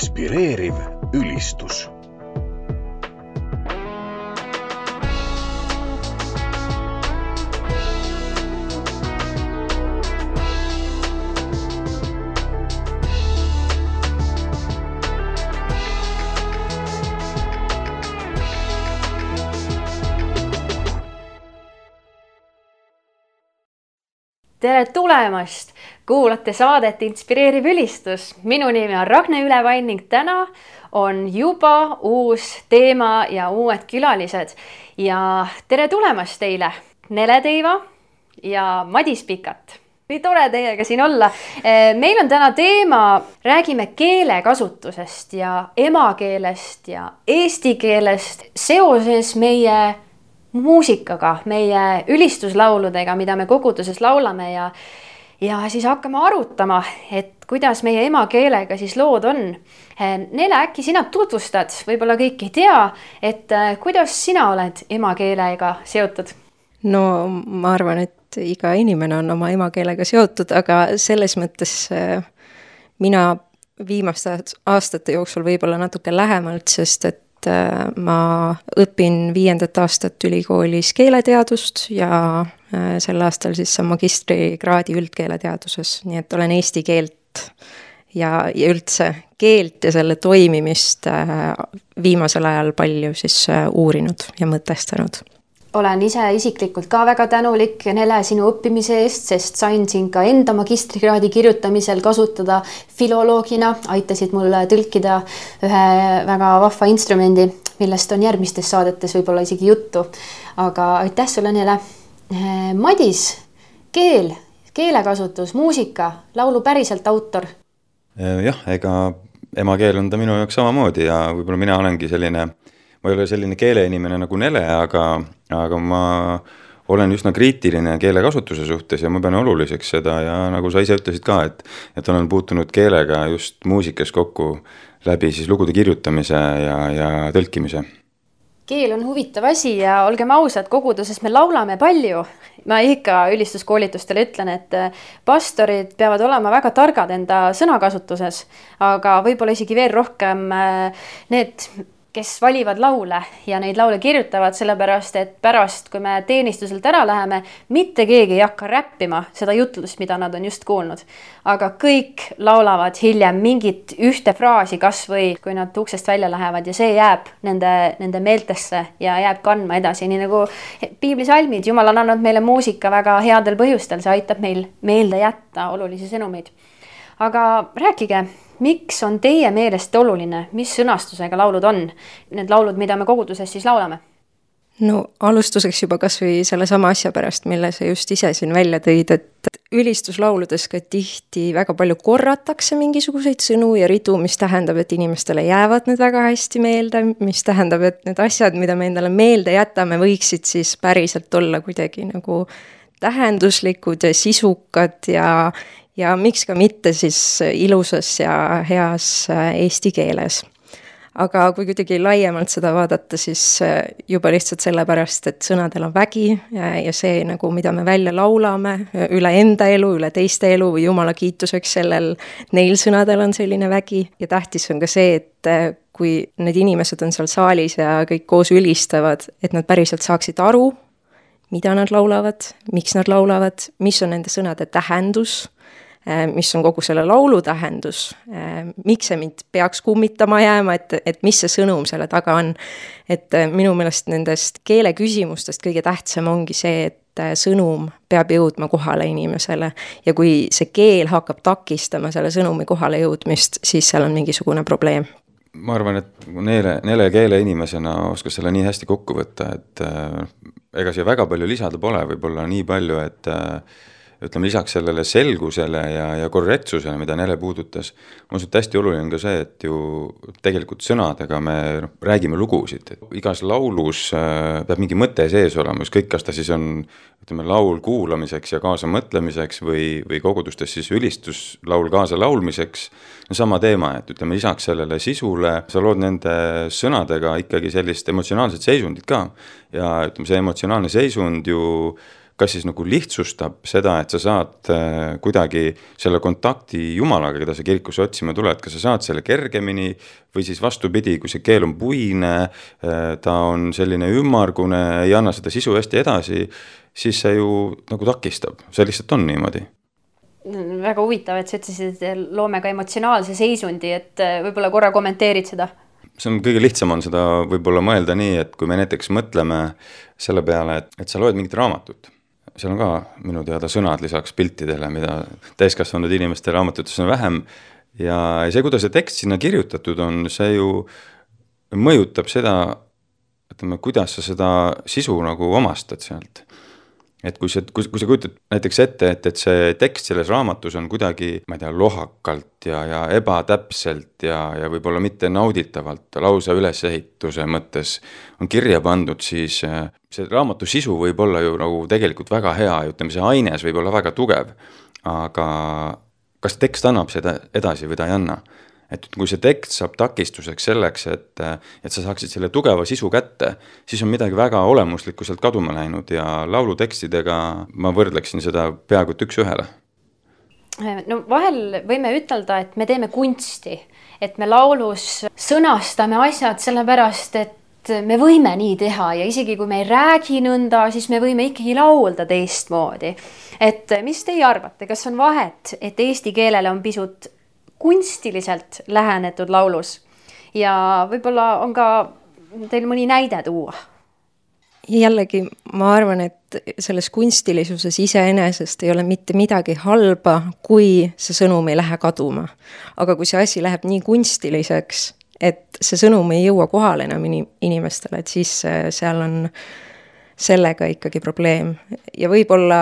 Inspireeriv ülistus. Tere tulemast! Kuulate saadet Inspireeriv ülistus. Minu nimi on Ragne Ülevain ning täna on juba uus teema ja uued külalised. Ja tere tulemast teile, Nele Teiva ja Madis Pikat. Nii tore teiega siin olla. Meil on täna teema, räägime keelekasutusest ja emakeelest ja eesti keelest seoses meie muusikaga, meie ülistuslauludega, mida me koguduses laulame ja siis hakkame arutama, et kuidas meie emakeelega siis lood on. Nele, äkki sina tutvustad, võib-olla kõik ei tea, et kuidas sina oled emakeelega seotud? No ma arvan, et iga inimene on oma emakeelega seotud, aga selles mõttes mina viimaste aastate jooksul võib-olla natuke lähemalt, sest et ma õpin 5. aastat ülikoolis keeleteadust ja sel aastal siis saan magistrikraadi üldkeeleteaduses, nii et olen eesti keelt ja üldse keelt ja selle toimimist viimasel ajal palju siis uurinud ja mõtestanud. Olen ise isiklikult ka väga tänulik, Nele, sinu õppimise eest, sest sain siin ka enda magistrikraadi kirjutamisel kasutada filoloogina. Aitasid mul tõlkida ühe väga vahva instrumendi, millest on järgmistes saadetes võib-olla isegi juttu. Aga aitäh sulle, Nele. Madis, keelekasutus, muusika, laulu päriselt autor. Jah, ega emakeel on ta minu jaoks samamoodi ja võib-olla mina olengi selline, ma ei ole selline keeleinimene nagu Nele, aga ma olen üsna kriitiline keelekasutuse suhtes ja ma pean oluliseks seda ja nagu sa ise ütlesid ka, et olen puutunud keelega just muusikas kokku läbi siis lugude kirjutamise ja tõlkimise. Keel on huvitav asi ja olgem ausad, koguduses me laulame palju. Ma ikka ülistuskoolitustele ütlen, et pastorid peavad olema väga targad enda sõnakasutuses, aga võib-olla isegi veel rohkem need, kes valivad laule ja neid laule kirjutavad, sellepärast, et pärast, kui me teenistuselt ära läheme, mitte keegi ei hakka räppima seda jutlust, mida nad on just kuulnud. Aga kõik laulavad hiljem mingit ühte fraasi kas või, kui nad uksest välja lähevad ja see jääb nende meeltesse ja jääb kandma edasi. Nii nagu piiblisalmid, Jumal on andnud meile muusika väga headel põhjustel, see aitab meil meelde jätta olulisi sõnumeid. Aga rääkige, miks on teie meelest oluline, mis sõnastusega laulud on? Need laulud, mida me koguduses siis laulame? No alustuseks juba kas või selle sama asja pärast, mille sa just ise siin välja tõid, et ülistuslauludes ka tihti väga palju korratakse mingisuguseid sõnu ja ridu, mis tähendab, et inimestele jäävad need väga hästi meelde, mis tähendab, et need asjad, mida me endale meelde jätame, võiksid siis päriselt olla kuidagi nagu tähenduslikud ja sisukad ja miks ka mitte siis ilusas ja heas eesti keeles. Aga kui kuidagi laiemalt seda vaadata, siis juba lihtsalt sellepärast, et sõnadel on vägi ja see, nagu, mida me välja laulame üle enda elu, üle teiste elu või Jumala kiituseks neil sõnadel on selline vägi. Ja tähtis on ka see, et kui need inimesed on seal saalis ja kõik koos ülistavad, et nad päriselt saaksid aru, mida nad laulavad, miks nad laulavad, mis on nende sõnade tähendus, mis on kogu selle laulu tähendus, miks see mind peaks kummitama jääma, et mis see sõnum selle taga on. Et minu meelest nendest keele küsimustest kõige tähtsam ongi see, et sõnum peab jõudma kohale inimesele ja kui see keel hakkab takistama selle sõnumi kohale jõudmist, siis seal on mingisugune probleem. Ma arvan, et Nele keele inimesena oskas selle nii hästi kokku võtta, et ega siia väga palju lisada pole, võib-olla nii palju, et ütleme lisaks sellele selgusele ja korrektsusele, mida Nele puudutas, on hästi oluline ka see, et ju tegelikult sõnadega me räägime lugusid. Igas laulus peab mingi mõte sees olema, ükskõik kas ta siis on laul kuulamiseks ja kaasa mõtlemiseks või kogudustes siis ülistuslaul kaasa laulmiseks. Sama teema, et ütleme lisaks sellele sisule, sa lood nende sõnadega ikkagi sellist emotsionaalset seisundit ka ja ütleme see emotsionaalne seisund ju kas siis nagu lihtsustab seda, et sa saad kuidagi selle kontakti Jumalaga, keda sa kirikusse otsima tuled, kas sa saad selle kergemini või siis vastupidi, kui see keel on puine, ta on selline ümmargune, ei anna seda sisu hästi edasi, siis see ju nagu takistab, see lihtsalt on niimoodi. Väga huvitav, et sa ütlesid, et loome ka emotsionaalse seisundi, et võib-olla korra kommenteerid seda? See on kõige lihtsam on seda võib-olla mõelda nii, et kui me näiteks mõtleme selle peale, et sa loed mingit raamatut, seal on ka minu teada sõnad lisaks piltidele, mida täiskasvanud inimeste raamatutes on vähem ja see, kuidas see tekst sinna kirjutatud on, see ju mõjutab seda, ütleme, kuidas sa seda sisu nagu omastad sealt. Et kui sa kujutad näiteks ette, et see tekst selles raamatus on kuidagi, ma ei tea, lohakalt ja ebatäpselt ja võib-olla mitte nauditavalt lausa ülesehituse mõttes on kirja pandud, siis see raamatu sisu võib olla ju nagu tegelikult väga hea ja ütleme, see aines võib olla väga tugev, aga kas tekst annab seda edasi või ta ei anna? Et kui see tekst saab takistuseks selleks, et sa saaksid selle tugeva sisu kätte, siis on midagi väga olemuslikku sealt kaduma läinud ja laulutekstidega ma võrdleksin seda peaaegu üks ühele. No vahel võime ütelda, et me teeme kunsti, et me laulus sõnastame asjad sellepärast, et me võime nii teha ja isegi kui me ei räägi nõnda, siis me võime ikkagi laulda teistmoodi. Et mis teie arvate, kas on vahet, et eesti keelele on pisut kunstiliselt lähenetud laulus ja võib-olla on ka teil mõni näide tuua? Jällegi, ma arvan, et selles kunstilisuses iseenesest ei ole mitte midagi halba, kui see sõnum ei lähe kaduma. Aga kui see asi läheb nii kunstiliseks, et see sõnum ei jõua kohale enam inimestele, et siis seal on sellega ikkagi probleem. Ja võib-olla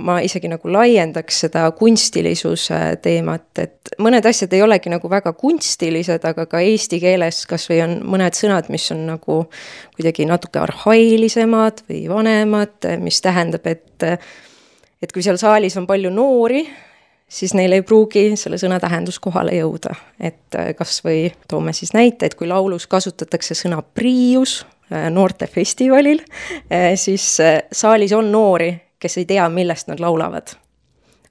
ma isegi nagu laiendaks seda kunstilisuse teemat, et mõned asjad ei olegi nagu väga kunstilised, aga ka eesti keeles kas või on mõned sõnad, mis on nagu kuidagi natuke arhailisemad või vanemad, mis tähendab, et kui seal saalis on palju noori, siis neil ei pruugi selle sõna tähendus kohale jõuda. Et kas või toome siis näite, et kui laulus kasutatakse sõna priius, noortefestivalil, siis saalis on noori, kes ei tea, millest nad laulavad.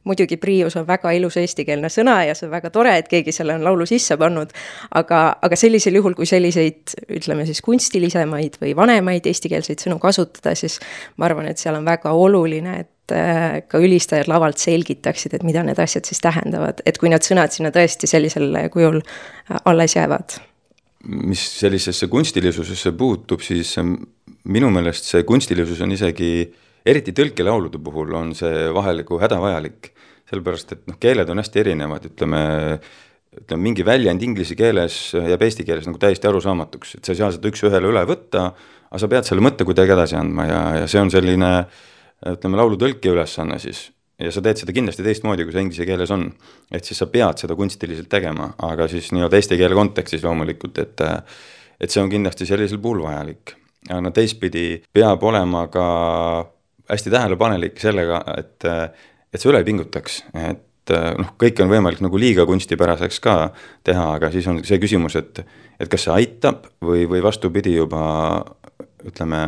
Muidugi priius on väga ilus eestikeelne sõna ja see on väga tore, et keegi selle on laulu sisse pannud, aga sellisel juhul, kui selliseid, ütleme siis kunstilisemaid või vanemaid eestikeelseid sõnu kasutada, siis ma arvan, et seal on väga oluline, et ka ülistajad lavalt selgitaksid, et mida need asjad siis tähendavad, et kui need sõnad sinna tõesti sellisel kujul alles jäävad. Mis sellisesse kunstilisusesse puutub, siis minu meelest see kunstilisus on isegi, eriti tõlkelaulude puhul on see vaheliku hädavajalik, sellepärast, et keeled on hästi erinevad, ütleme mingi väljend inglise keeles jääb eesti keeles nagu täiesti arusaamatuks, et sa ei saa seda üks ühele üle võtta, aga sa pead selle mõtte kuidagi edasi andma ja see on selline, ütleme, laulutõlki ülesanne siis. Ja sa teed seda kindlasti teistmoodi, kui see inglise keeles on. Et siis sa pead seda kunstiliselt tegema, aga siis nii-öelda eesti keele kontekstis loomulikult, et see on kindlasti sellisel puhul vajalik. Ja teistpidi peab olema ka hästi tähelepanelik sellega, et sa üle ei pingutaks. Et kõik on võimalik nagu liiga kunstipäraseks ka teha, aga siis on see küsimus, et kas see aitab või vastupidi juba, ütleme,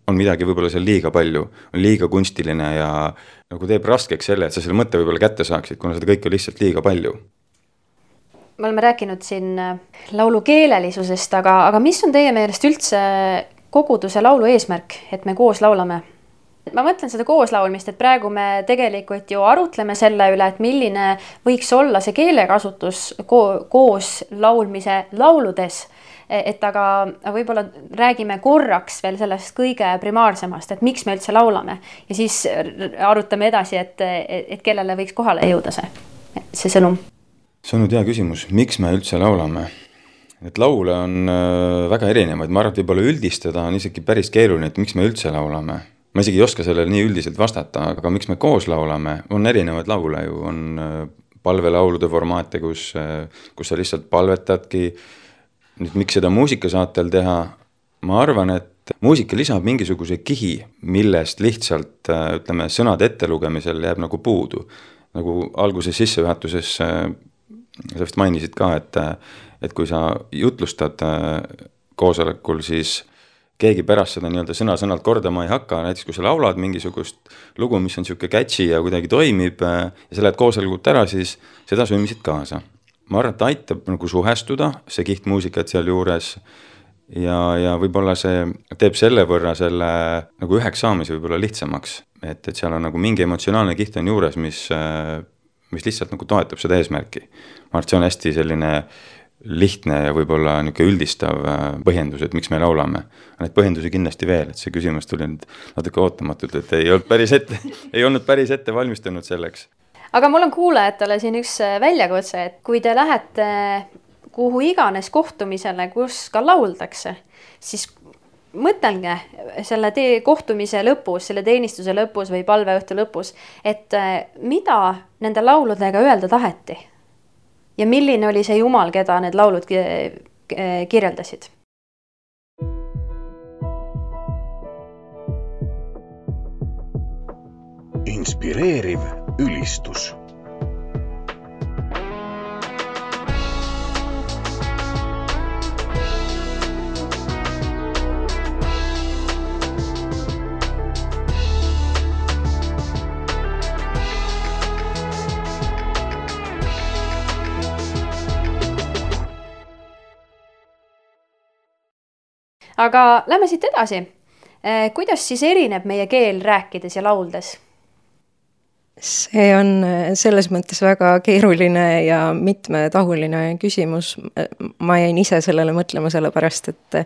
on midagi võib-olla seal liiga palju, on liiga kunstiline ja nagu teeb raskeks selle, et sa selle mõtte võib-olla kätte saaksid, kuna seda kõik on lihtsalt liiga palju. Me oleme rääkinud siin laulu keelelisusest, aga mis on teie meelest üldse koguduse laulu eesmärk, et me koos laulame? Ma mõtlen seda kooslaulmist, et praegu me tegelikult ju arutleme selle üle, et milline võiks olla see keelekasutus koos laulmise lauludes, et aga võib-olla räägime korraks veel sellest kõige primaarsemast, et miks me üldse laulame ja siis arutame edasi, et kellele võiks kohale jõuda see sõnum. See on nüüd hea küsimus, miks me üldse laulame? Et laule on väga erinevaid, ma arvan, et võib-olla üldistada on isegi päris keeruline, et miks me üldse laulame. Ma isegi ei oska sellele nii üldiselt vastata, aga miks me koos laulame, on erinevaid laule ju, on palvelaulude formaate, kus sa lihtsalt palvetadki. Nüüd, miks seda muusikasaatel teha? Ma arvan, et muusika lisab mingisuguse kihi, millest lihtsalt, ütleme, sõnade ettelugemisel jääb nagu puudu. Nagu alguses sissejuhatuses sa vist mainisid ka, et kui sa jutlustad koosolekul, siis keegi pärast seda nii-öelda sõna-sõnalt kordama ei hakka, näiteks kui sa laulad mingisugust lugu, mis on niisugune catchy ja kuidagi toimib ja sa lähed koosolekut ära, siis seda sõimisid kaasa. Ma arvan, et aitab nagu suhestuda, see kihtmuusikat seal juures ja võib-olla see teeb selle võrra selle nagu üheks saamise võib-olla lihtsamaks, et seal on nagu mingi emotsionaalne kiht on juures, mis lihtsalt nagu toetab seda eesmärki. Ma arvan, et see on hästi selline lihtne ja võib-olla niisugune üldistav põhjendus, et miks me laulame. Neid põhjendusi kindlasti veel, et see küsimus tuli nüüd natuke ootamatult, et ei olnud päris ette valmistunud selleks. Aga mul on kuulajatele siin üks väljakutse, et kui te lähete kuhu iganes kohtumisele, kus ka lauldakse, siis mõtelge selle kohtumise lõpus, selle teenistuse lõpus või palveõhtu lõpus, et mida nende lauludega öelda taheti ja milline oli see Jumal, keda need laulud kirjeldasid. Inspireeriv ülistus. Aga lähme siit edasi. Kuidas siis erineb meie keel rääkides ja lauldes? See on selles mõttes väga keeruline ja mitmetahuline küsimus. Ma jäin ise sellele mõtlema sellepärast, et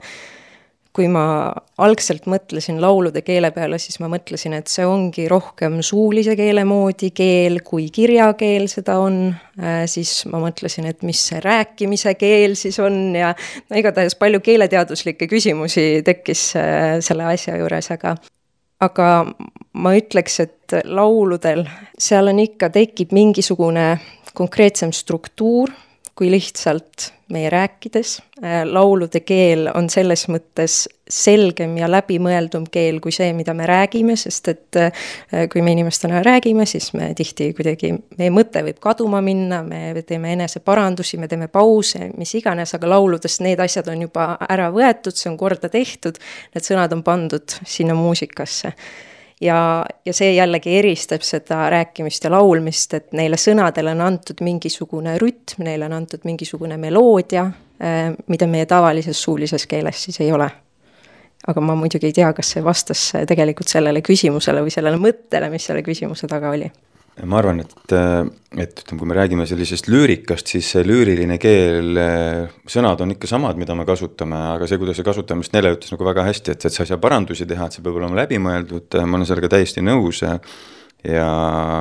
kui ma algselt mõtlesin laulude keele peale, siis ma mõtlesin, et see ongi rohkem suulise keele moodi keel, kui kirjakeel seda on. Siis ma mõtlesin, et mis see rääkimise keel siis on ja igatahes palju keeleteaduslikke küsimusi tekkis selle asja juures, aga ma ütleks, et lauludel seal on ikka tekib mingisugune konkreetsem struktuur, kui lihtsalt meie rääkides. Laulude keel on selles mõttes selgem ja läbimõeldum keel kui see, mida me räägime, sest et kui me inimestena räägime, siis me tihti kuidagi, meie mõte võib kaduma minna, me teeme eneseparandusi, me teeme pause, mis iganes, aga lauludest need asjad on juba ära võetud, see on korda tehtud, need sõnad on pandud sinna muusikasse. Ja see jällegi eristab seda rääkimist ja laulmist, et neile sõnadele on antud mingisugune rütm, neile on antud mingisugune meloodia, mida meie tavalises suulises keeles siis ei ole. Aga ma muidugi ei tea, kas see vastas tegelikult sellele küsimusele või sellele mõttele, mis selle küsimuse taga oli. Ma arvan, et kui me räägime sellisest lüürikast, siis see lüüriline keel, sõnad on ikka samad, mida me kasutame, aga see, kuidas see kasutamist Nele ütles nagu väga hästi, et sa ei saa parandusi teha, et see peab olema läbimõeldud, ma olen sellega täiesti nõus ja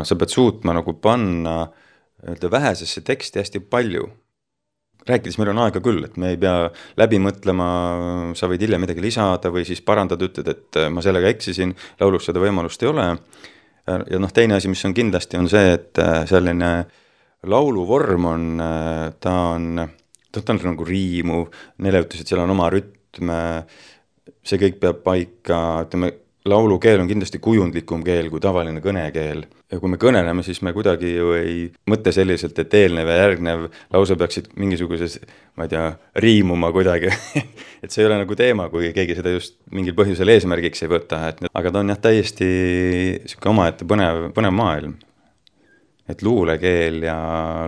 sa pead suutma nagu panna vähesesse teksti hästi palju. Rääkides meil on aega küll, et me ei pea läbi mõtlema, sa võid hiljem midagi lisada või siis parandada, ütled, et ma sellega eksisin, laulus seda võimalust ei ole. Ja teine asi, mis on kindlasti, on see, et selline lauluvorm on, ta on nagu riimu, Nele ütles, et seal on oma rütm, see kõik peab paika, ütleme, laulukeel on kindlasti kujundlikum keel kui tavaline kõnekeel. Ja kui me kõneleme, siis me kuidagi ju ei mõtle selliselt, et eelnev ja järgnev lause peaksid mingisuguses, ma ei tea, riimuma kuidagi. Et see ei ole nagu teema, kui keegi seda just mingil põhjusel eesmärgiks ei võta. Aga ta on täiesti omaette põnev maailm. Et luulekeel ja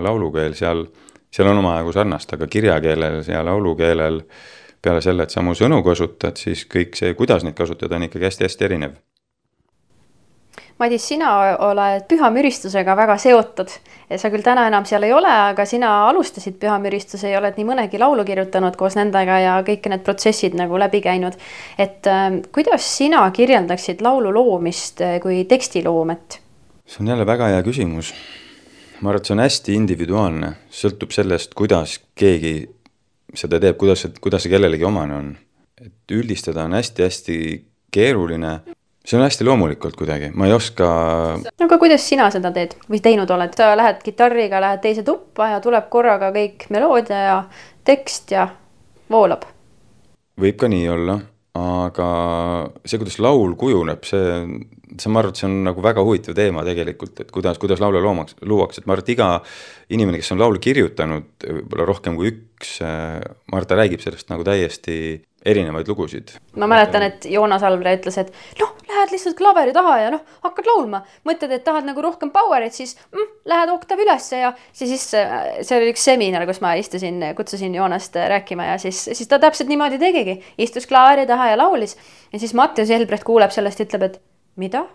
laulukeel, seal on omajagu sarnast, aga kirjakeelel ja laulukeelel peale selle, et sa mu sõnu kasutad, siis kõik see, kuidas neid kasutada, on ikkagi hästi-hästi erinev. Madis, sina oled pühamüristusega väga seotud. Sa küll täna enam seal ei ole, aga sina alustasid pühamüristuse ja oled nii mõnegi laulu kirjutanud koos nendega ja kõik need protsessid nagu läbi käinud. Et kuidas sina kirjeldaksid laulu loomist kui tekstiloomet? See on jälle väga hea küsimus. Ma arvan, et see on hästi individuaalne. Sõltub sellest, kuidas keegi seda teeb, kuidas see kellelegi omane on. Et üldistada on hästi-hästi keeruline. See on hästi loomulikult kuidagi, ma ei oska... Aga kuidas sina seda teed või teinud oled? Sa lähed kitarriga, lähed teise tuppa ja tuleb korraga kõik meloodia ja tekst ja voolab. Võib ka nii olla, aga see, kuidas laul kujuneb, ma arvan, et see on nagu väga huvitav teema tegelikult, et kuidas laule luuakse. Ma arvan, et iga inimene, kes on laulu kirjutanud, võib-olla rohkem kui üks, Marta räägib sellest nagu täiesti erinevaid lugusid. Ma mäletan, et Joonas Alvre ütles, et lähed lihtsalt klaveri taha ja hakkad laulma. Mõtled, et tahad nagu rohkem powerit, siis lähed oktav ülesse ja siis see oli üks seminar, kus ma kutsusin Joonast rääkima ja siis ta täpselt niimoodi tegigi. Istus klaveri taha ja laulis ja siis Mattias Jelbrecht kuuleb sellest ja ütleb, et mida?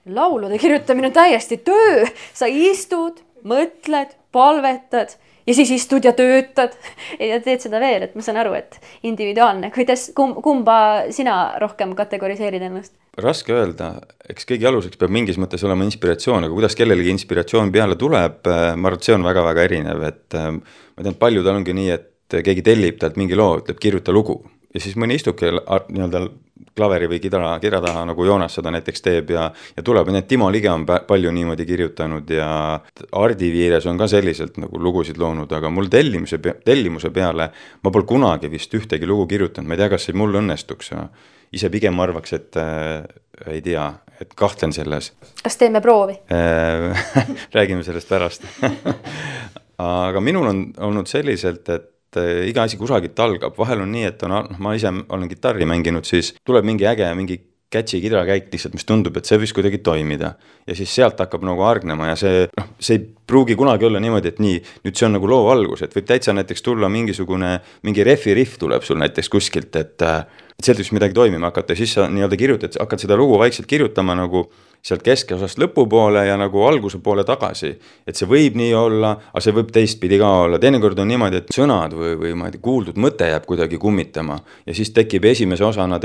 Laulude kirjutamine on täiesti töö. Sa istud, mõtled, palvetad ja siis istud ja töötad ja teed seda veel, et ma saan aru, et individuaalne. Kuidas, kumba sina rohkem kategoriseerid ennast? Raske öelda, eks kõigi aluseks peab mingis mõttes olema inspiratsioon, aga kuidas kellelegi inspiratsioon peale tuleb, ma arvan, et see on väga-väga erinev, et ma tean, palju tal ongi nii, et keegi tellib talt mingi loo, ütleb kirjuta lugu ja siis mõni istubki nii-öelda klaveri või kidra taha, nagu Joonas seda näiteks teeb ja tuleb, nii et Timo Lige on palju niimoodi kirjutanud ja Ardi Viires on ka selliselt nagu lugusid loonud, aga mul tellimuse peale ma pole kunagi vist ühtegi lugu kirjutanud, ma ei tea, kas see mul õnnestuks ja ise pigem arvaks, et ei tea, et kahtlen selles. Kas teeme proovi? Räägime sellest pärast. Aga minul on olnud selliselt, et iga asi kusagilt algab, vahel on nii, et ma ise olen kitarri mänginud, siis tuleb mingi äge, mingi catchy kidrakäik lihtsalt, mis tundub, et see võis kuidagi toimida ja siis sealt hakkab nagu argnema ja see ei pruugi kunagi olla niimoodi, et nii, nüüd see on nagu loo algus, et võib täitsa näiteks tulla mingi riff tuleb sul näiteks kuskilt, et sealt võiks midagi toimima hakata ja siis sa nii-öelda kirjutad, hakkad seda lugu vaikselt kirjutama nagu sealt keskosast lõpupoole ja nagu alguse poole tagasi, et see võib nii olla, aga see võib teistpidi ka olla. Teinekord on niimoodi, et sõnad või ma ei tea, kuuldud mõte jääb kuidagi kummitama ja siis tekib esimese osana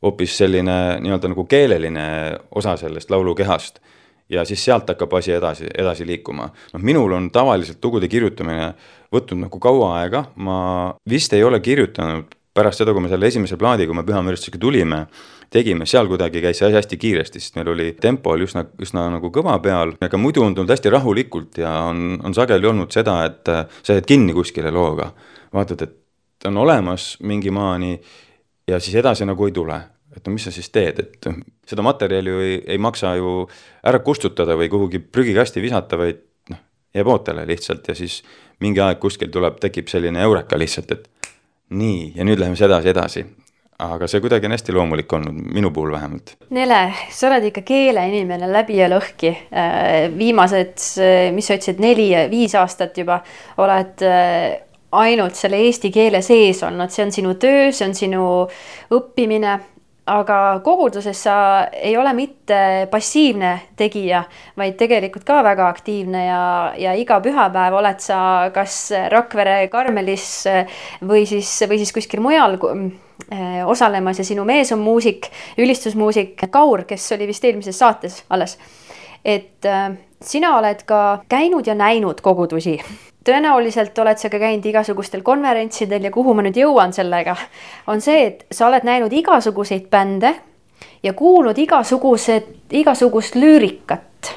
hoopis selline nii-öelda nagu keeleline osa sellest laulukehast ja siis sealt hakkab asi edasi liikuma. Minul on tavaliselt lugude kirjutamine võtnud nagu kaua aega, ma vist ei ole kirjutanud pärast seda, kui me selle esimese plaadi, kui me Pühamüristusega tulime, tegime, seal kuidagi käis see hästi kiiresti, sest meil oli tempo oli üsna nagu kõva peal, aga muidu on tulnud hästi rahulikult ja on sageli olnud seda, et sa jääd kinni kuskile looga. Vaatad, et on olemas mingi maani ja siis edasi nagu ei tule. Et mis sa siis teed, et seda materjali ei maksa ju ära kustutada või kuhugi prügikasti visata, vaid jääb ootele lihtsalt ja siis mingi aeg kuskil tekib selline eureka lihtsalt, et nii, ja nüüd läheme edasi. Aga see kuidagi on hästi loomulik olnud, minu puhul vähemalt. Nele, sa oled ikka keeleinimene läbi ja lõhki. Viimased, mis sa ütlesid, 4-5 aastat juba oled ainult selle eesti keele sees olnud. See on sinu töö, see on sinu õppimine, aga koguduses sa ei ole mitte passiivne tegija, vaid tegelikult ka väga aktiivne ja iga pühapäev oled sa kas Rakvere Karmelis või siis kuskil mujal osalemas ja sinu mees on muusik, ülistusmuusik Kaur, kes oli vist eelmises saates alles. Et sina oled ka käinud ja näinud kogudusi. Tõenäoliselt oled sa ka käinud igasugustel konverentsidel ja kuhu ma nüüd jõuan sellega, on see, et sa oled näinud igasuguseid bände ja kuulnud igasugust lüürikat.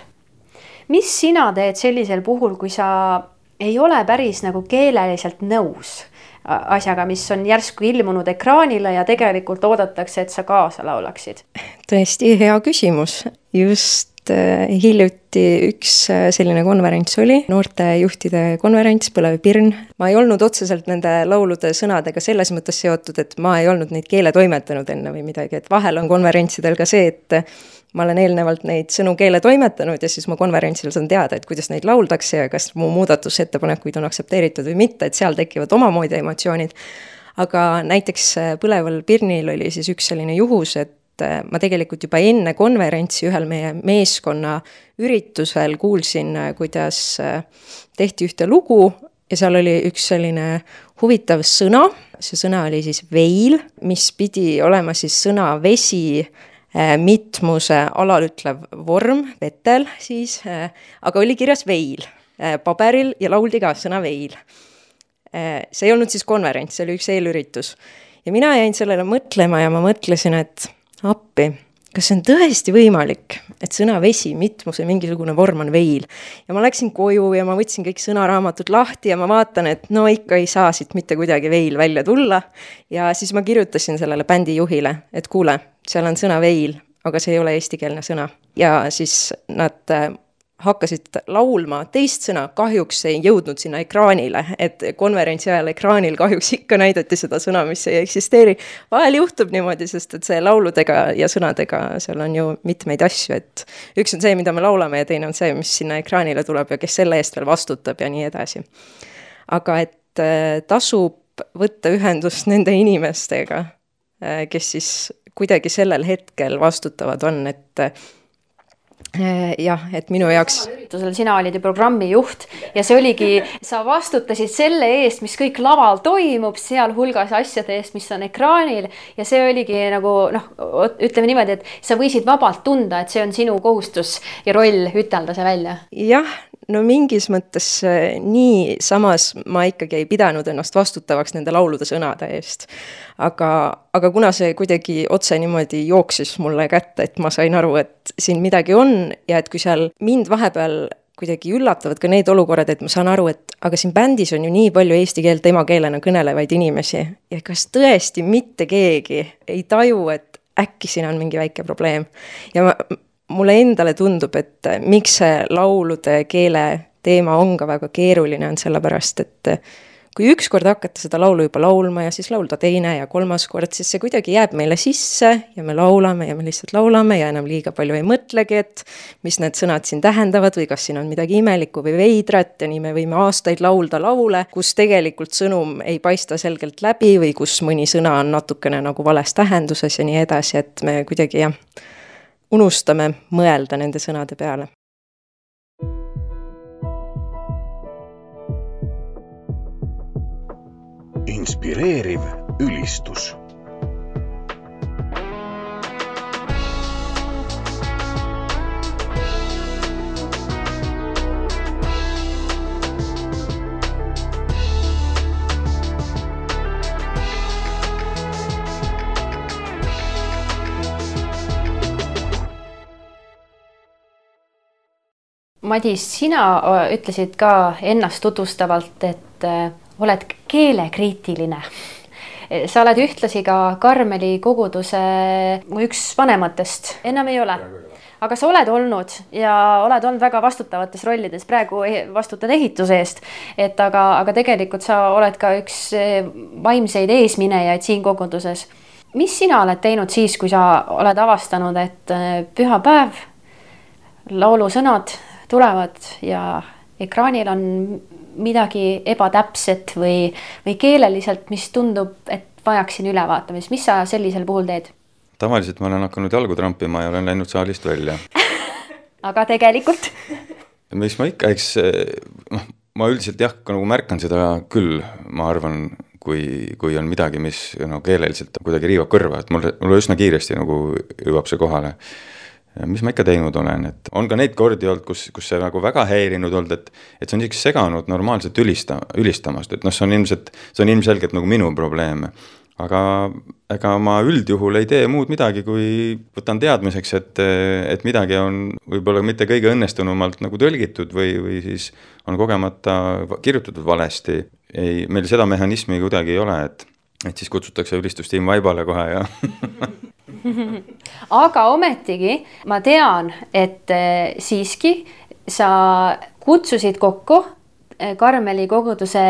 Mis sina teed sellisel puhul, kui sa ei ole päris nagu keeleliselt nõus asjaga, mis on järsku ilmunud ekraanile ja tegelikult oodatakse, et sa kaasa laulaksid? Tõesti hea küsimus. Just hiljuti üks selline konverents oli, noortejuhtide konverents Põlev Pirn. Ma ei olnud otseselt nende laulude sõnadega selles mõttes seotud, et ma ei olnud neid keele toimetanud enne või midagi, et vahel on konverentsidel ka see, et ma olen eelnevalt neid sõnu keele toimetanud ja siis ma konverentsil saan teada, et kuidas neid lauldakse ja kas mu muudatusettepanekuid on aktsepteeritud või mitte, et seal tekivad omamoodi emotsioonid. Aga näiteks Põleval Pirnil oli siis üks selline juhus, et ma tegelikult juba enne konverentsi ühel meie meeskonna üritusel kuulsin, kuidas tehti ühte lugu ja seal oli üks selline huvitav sõna. See sõna oli siis veil, mis pidi olema siis sõna vesi, mitmuse alalütlev vorm, vetel siis, aga oli kirjas veil paberil ja lauldi ka sõna veil. See ei olnud siis konverents, see oli üks eelüritus. Ja mina jäin sellele mõtlema ja ma mõtlesin, et appi, kas see on tõesti võimalik, et sõna vesi, mitmuse, mingisugune vorm on veil. Ja ma läksin koju ja ma võtsin kõik sõnaraamatud lahti ja ma vaatan, et no ikka ei saa siit mitte kuidagi veil välja tulla. Ja siis ma kirjutasin sellele bändi juhile, et kuule, seal on sõna veil, aga see ei ole eestikeelne sõna. Ja siis nad hakkasid laulma teist sõna, kahjuks ei jõudnud sinna ekraanile, et konverentsi ajal ekraanil kahjuks ikka näidati seda sõna, mis ei eksisteeri. Vahel juhtub niimoodi, sest et see lauludega ja sõnadega seal on ju mitmeid asju, et üks on see, mida me laulame ja teine on see, mis sinna ekraanile tuleb ja kes selle eest veel vastutab ja nii edasi. Aga et tasub võtta ühendust nende inimestega, kes siis kuidagi sellel hetkel vastutavad on, et jah, et minu jaoks sina olid ju programmi juht ja see oligi, sa vastutasid selle eest, mis kõik laval toimub, seal hulgas asjade eest, mis on ekraanil ja see oligi nagu ütleme niimoodi, et sa võisid vabalt tunda, et see on sinu kohustus ja roll ütelda see välja. Jah, no mingis mõttes nii, samas ma ikkagi ei pidanud ennast vastutavaks nende laulude sõnade eest. Aga kuna see kuidagi otse niimoodi jooksis mulle kätte, et ma sain aru, et siin midagi on ja et kui seal mind vahepeal kuidagi üllatavad ka need olukorrad, et ma saan aru, et aga siin bändis on ju nii palju eesti keelt emakeelena kõnelevaid inimesi ja kas tõesti mitte keegi ei taju, et äkki siin on mingi väike probleem. Ja mulle endale tundub, et miks see laulude keele teema on ka väga keeruline on sellepärast, et kui ükskord hakata seda laulu juba laulma ja siis laulda teine ja kolmas kord, siis see kuidagi jääb meile sisse ja me laulame ja me lihtsalt laulame ja enam liiga palju ei mõtlegi, et mis need sõnad siin tähendavad või kas siin on midagi imelikku või veidrat ja nii me võime aastaid laulda laule, kus tegelikult sõnum ei paista selgelt läbi või kus mõni sõna on natukene nagu vales tähenduses ja nii edasi, et me kuidagi unustame mõelda nende sõnade peale. Inspireeriv ülistus. Madis, sina ütlesid ka ennast tutvustavalt, et oled keelekriitiline. Sa oled ühtlasi ka Karmeli koguduse üks vanematest. Enam ei ole. Aga sa oled olnud ja oled olnud väga vastutavates rollides. Praegu vastutad ehituse eest. Aga tegelikult sa oled ka üks vaimseid eesminejaid siin koguduses. Mis sina oled teinud siis, kui sa oled avastanud, et pühapäev, laulusõnad tulevad ja ekraanil on midagi ebatäpset või keeleliselt, mis tundub, et vajaksin ülevaatamist. Mis sa sellisel puhul teed? Tavaliselt ma olen hakanud jalgu trampima ja olen läinud saalist välja. Aga tegelikult? Mis ma ikka, ma üldiselt nagu märkan seda küll, ma arvan, kui on midagi, mis keeleliselt kuidagi riivab kõrva, et mulle üsna kiiresti nagu jõuab see kohale. Mis ma ikka teinud olen, et on ka neid kordi olnud, kus see nagu väga häirinud olnud, et see on siiski seganud normaalselt ülistamast, et see on ilmselgelt nagu minu probleem. Aga ma üldjuhul ei tee muud midagi, kui võtan teadmiseks, et midagi on võib-olla mitte kõige õnnestunumalt nagu tõlgitud või siis on kogemata kirjutatud valesti. Meil seda mehhanismi kuidagi ei ole, et siis kutsutakse ülistustiim vaibale kohe ja Aga ometigi ma tean, et siiski sa kutsusid kokku Karmeli koguduse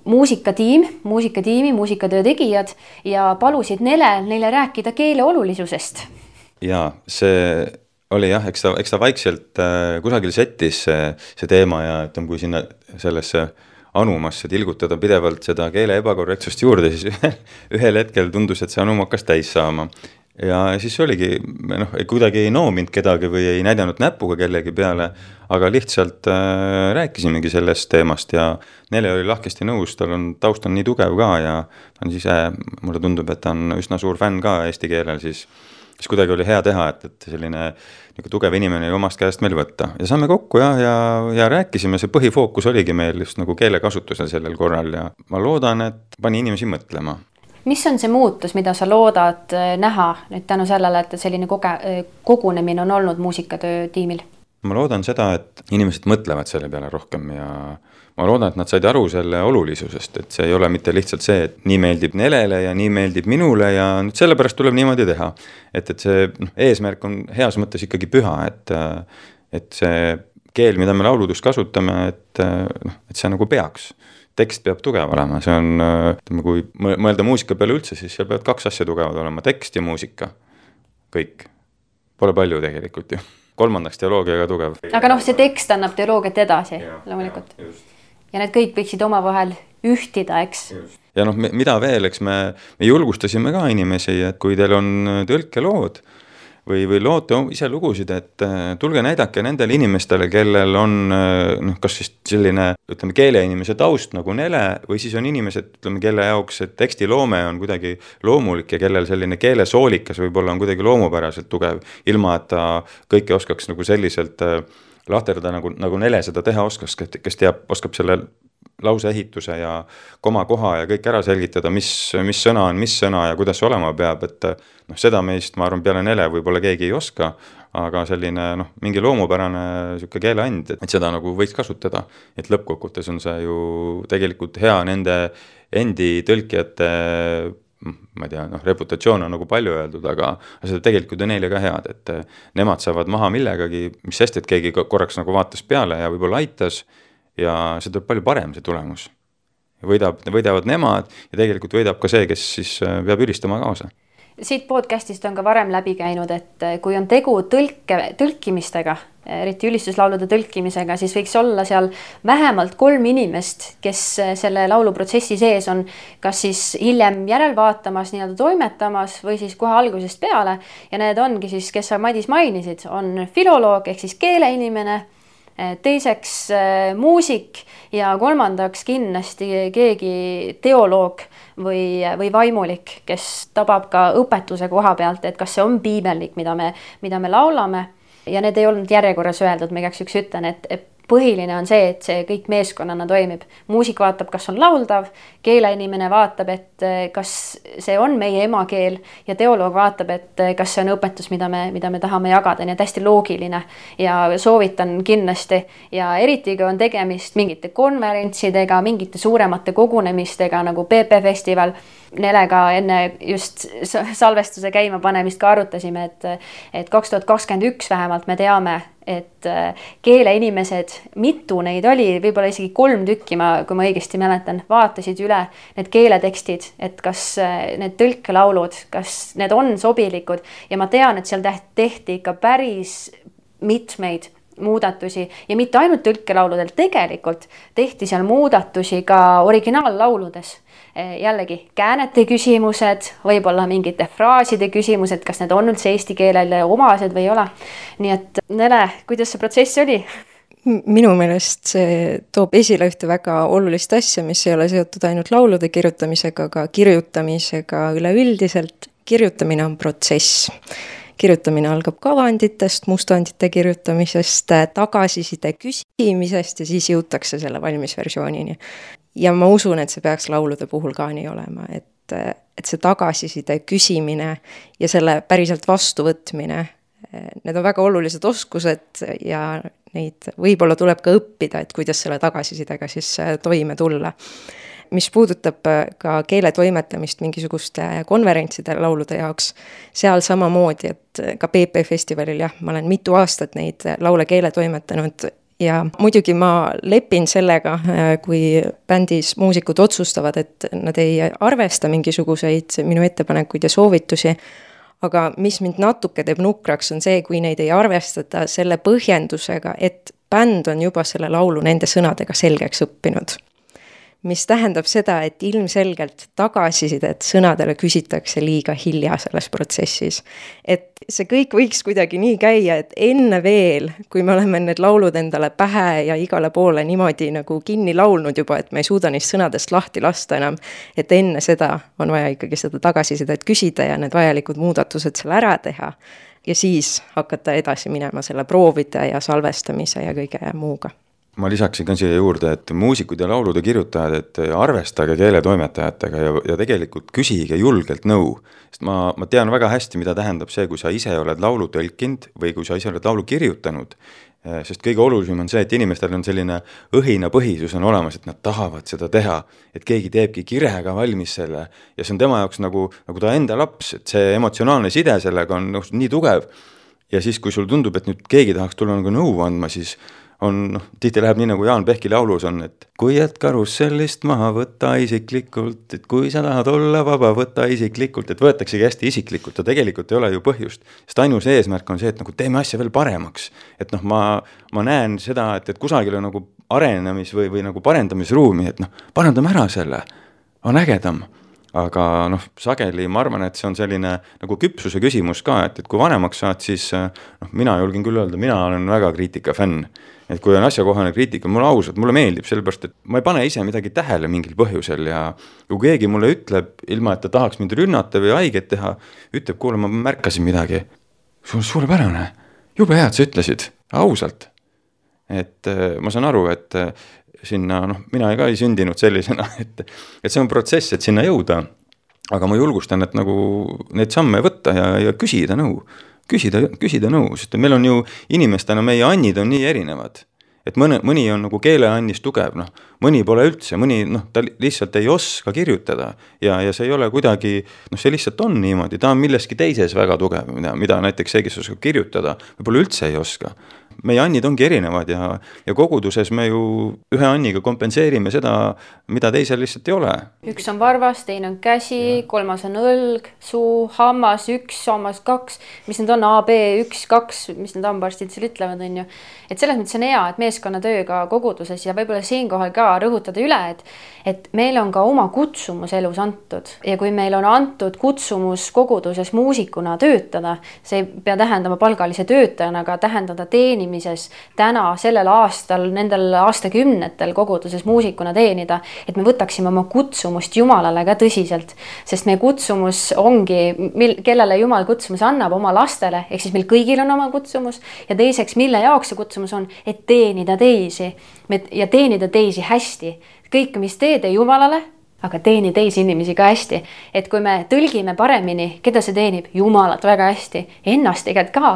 muusikatöö tegijad ja palusid neile rääkida keele olulisusest. Ja see oli jah, eks ta vaikselt kusagil settis see teema ja et kui sinna sellesse anumasse tilgutada pidevalt seda keele ebakorrektsust juurde, siis ühel hetkel tundus, et see anum hakkas täis saama. Ja siis oligi, kuidagi ei noominud kedagi või ei näidanud näpuga kellegi peale, aga lihtsalt rääkisimegi sellest teemast ja Nele oli lahkesti nõus, tal on taust on nii tugev ka ja ta on ise, mulle tundub, et ta on üsna suur fänn ka eesti keelel, siis kuidagi oli hea teha, et selline tugev inimene ei omast käest meil võtta. Ja saame kokku ja rääkisime, see põhifookus oligi meil just nagu keelekasutusel sellel korral ja ma loodan, et pani inimesi mõtlema. Mis on see muutus, mida sa loodad näha nüüd tänu sellele, et selline kogunemine on olnud muusikatöö tiimil? Ma loodan seda, et inimesed mõtlevad selle peale rohkem ja ma loodan, et nad said aru selle olulisusest, et see ei ole mitte lihtsalt see, et nii meeldib Nelele ja nii meeldib minule ja nüüd sellepärast tuleb niimoodi teha. Et see eesmärk on heas mõttes ikkagi püha, et see keel, mida me lauludes kasutame, et see nagu peaks. Tekst peab tugev olema, see on, kui mõelda muusika peale üldse, siis seal peavad 2 asja tugevad olema, tekst ja muusika. Kõik. Pole palju tegelikult ju. 3. teoloogiaga tugev. Aga see tekst annab teoloogiat edasi, loomulikult. Ja need kõik võiksid omavahel ühtida, eks? Ja mida veel, eks me julgustasime ka inimesi, et kui teil on tõlkelood või loote ise lugusid, et tulge näidake nendele inimestele, kellel on kas siis selline, ütleme, keeleinimese taust nagu Nele, või siis on inimesed, ütleme, kelle jaoks tekstiloome on kuidagi loomulik ja kellel selline keelesoolikas võib-olla on kuidagi loomupäraselt tugev, ilma et ta kõike oskaks nagu selliselt lahterda, nagu Nele seda teha oskas, kes oskab selle lause ehituse ja koha ja kõik ära selgitada, mis sõna on mis sõna ja kuidas see olema peab, et seda meist, ma arvan, peale Nele võib-olla keegi ei oska, aga selline mingi loomupärane selline keeleand, et seda nagu võiks kasutada, et lõppkokkuvõttes on see ju tegelikult hea nende endi tõlkijate, ma ei tea, reputatsioon on nagu palju öeldud, aga seda tegelikult on neile ka head, et nemad saavad maha millegagi, mis sest, et keegi korraks nagu vaatas peale ja võib-olla aitas, ja see tuleb palju parem see tulemus. Võidavad nemad ja tegelikult võidab ka see, kes siis peab ülistama kaasa. Siit podcastist on ka varem läbi käinud, et kui on tegu tõlkimistega, eriti ülistuslaulude tõlkimisega, siis võiks olla seal vähemalt 3 inimest, kes selle lauluprotsessi sees on kas siis hiljem järelvaatamas, nii-öelda toimetamas või siis kohe algusest peale. Ja need ongi siis, kes sa Madis mainisid, on filoloog ehk siis keeleinimene, teiseks muusik ja 3. kindlasti keegi teoloog või vaimulik, kes tabab ka õpetuse koha pealt, et kas see on piibellik, mida me laulame. Ja need ei olnud järjekorras öeldud, ma igaks üks ütlen, et põhiline on see, et see kõik meeskonnana toimib. Muusik vaatab, kas on lauldav, keeleinimene vaatab, et kas see on meie emakeel ja teoloog vaatab, et kas see on õpetus, mida me tahame jagada, nii et hästi loogiline ja soovitan kindlasti. Ja eriti, kui on tegemist mingite konverentsidega, mingite suuremate kogunemistega nagu PP Festival, Nelega enne just salvestuse käima panemist ka arutasime, et 2021 vähemalt me teame, et keeleinimesed, mitu neid oli, võib-olla isegi 3 tükki, kui ma õigesti mäletan, vaatasid üle need keeletekstid, et kas need tõlkelaulud, kas need on sobilikud ja ma tean, et seal tehti ikka päris mitmeid muudatusi ja mitte ainult tõlkelauludel, tegelikult tehti seal muudatusi ka originaallauludes. Jällegi käänete küsimused, võib-olla mingite fraaside küsimused, kas need on üldse eesti keelele omased või ei ole. Nii et Nele, kuidas see protsess oli? Minu meelest see toob esile ühte väga olulist asja, mis ei ole seotud ainult laulude kirjutamisega, aga kirjutamisega üleüldiselt. Kirjutamine on protsess. Kirjutamine algab kavanditest, mustandite kirjutamisest, tagasiside küsimisest ja siis jõutakse selle valmis versioonini. Ja ma usun, et see peaks laulude puhul ka nii olema, et see tagasiside küsimine ja selle päriselt vastuvõtmine, need on väga olulised oskused ja neid võib-olla tuleb ka õppida, et kuidas selle tagasisidega siis toime tulla. Mis puudutab ka keele toimetamist mingisuguste konverentside laulude jaoks, seal samamoodi, et ka PP Festivalil, ma olen mitu aastat neid laule keele toimetanud ja muidugi ma lepin sellega, kui bändis muusikud otsustavad, et nad ei arvesta mingisuguseid minu ettepanekuid ja soovitusi, aga mis mind natuke teeb nukraks on see, kui neid ei arvestata selle põhjendusega, et bänd on juba selle laulu nende sõnadega selgeks õppinud. Mis tähendab seda, et ilmselgelt tagasisidet sõnadele küsitakse liiga hilja selles protsessis. Et see kõik võiks kuidagi nii käia, et enne veel, kui me oleme need laulud endale pähe ja igale poole niimoodi nagu kinni laulnud juba, et me ei suuda neist sõnadest lahti lasta enam, et enne seda on vaja ikkagi seda tagasisidet küsida ja need vajalikud muudatused seal ära teha ja siis hakata edasi minema selle proovide ja salvestamise ja kõige muuga. Ma lisaksin ka siia juurde, et muusikud ja laulude kirjutajad, et arvestage keeletoimetajatega ja tegelikult küsige julgelt nõu. Sest ma tean väga hästi, mida tähendab see, kui sa ise oled laulu tõlkinud või kui sa ise oled laulu kirjutanud. Sest kõige olulisem on see, et inimestel on selline õhina põhisus on olemas, et nad tahavad seda teha, et keegi teebki kirega valmis selle ja see on tema jaoks nagu ta enda laps, et see emotsionaalne side sellega on nii tugev ja siis, kui sul tundub, et nüüd keegi tahaks tulla nagu nõu andma, siis on, tihti läheb nii, nagu Jaan Pehki laulus on, et kui jääd karussellist maha, võtta isiklikult, et kui sa tahad olla vaba, võtta isiklikult, et võetaksegi hästi isiklikult ja tegelikult ei ole ju põhjust. Sest ainus eesmärk on see, et nagu teeme asja veel paremaks. Et ma näen seda, et kusagil on nagu arenemis või nagu parendamisruumi, et parandame ära selle, on ägedam. Aga sageli ma arvan, et see on selline nagu küpsuse küsimus ka, et kui vanemaks saad, siis mina julgen küll öelda, mina olen väga kriitika fänn. Et kui on asjakohane kriitika, mulle ausalt, mulle meeldib, sellepärast, et ma ei pane ise midagi tähele mingil põhjusel ja kui keegi mulle ütleb, ilma et ta tahaks mind rünnata või haiget teha, ütleb, kuule, ma märkasin midagi. Suurepärane, jube hea, et sa ütlesid, ausalt. Et ma saan aru, et sinna, mina ka ei sündinud sellisena, et see on protsess, et sinna jõuda, aga ma julgustan, et nagu neid samme võtta ja küsida nõu, sest meil on ju inimestena, meie annid on nii erinevad, et mõni on nagu keeleannis tugev, mõni pole üldse, mõni ta lihtsalt ei oska kirjutada ja see ei ole kuidagi, see lihtsalt on niimoodi, ta on milleski teises väga tugev, mida näiteks see, kes oskab kirjutada, võib-olla üldse ei oska. Meie annid ongi erinevad ja koguduses me ju ühe anniga kompenseerime seda, mida teisel lihtsalt ei ole. Üks on varvas, teine on käsi, kolmas on õlg, suu, hammas 1, hammas 2, mis need on, A, B, 1, 2, mis need hambaarstid seal ütlevad, on ju. Et selles mõttes on hea, et meeskonnatööga koguduses ja võib-olla siinkohal ka rõhutada üle, et meil on ka oma kutsumus elus antud ja kui meil on antud kutsumus koguduses muusikuna töötada, see ei pea tähendama palgalise töötajana, aga tähendada teenimises täna, sellel aastal, nendel aastakümnetel koguduses muusikuna teenida, et me võtaksime oma kutsumust Jumalale ka tõsiselt, sest meie kutsumus ongi, kellele Jumal kutsumus annab oma lastele, ehk siis meil kõigil on oma kutsumus ja teiseks, mille jaoks see kutsumus on, et teenida teisi ja teenida teisi hästi. Kõik, mis teed Jumalale, aga teeni teisi inimesi ka hästi. Et kui me tõlgime paremini, keda see teenib? Jumalat väga hästi, ennast tegelikult ka,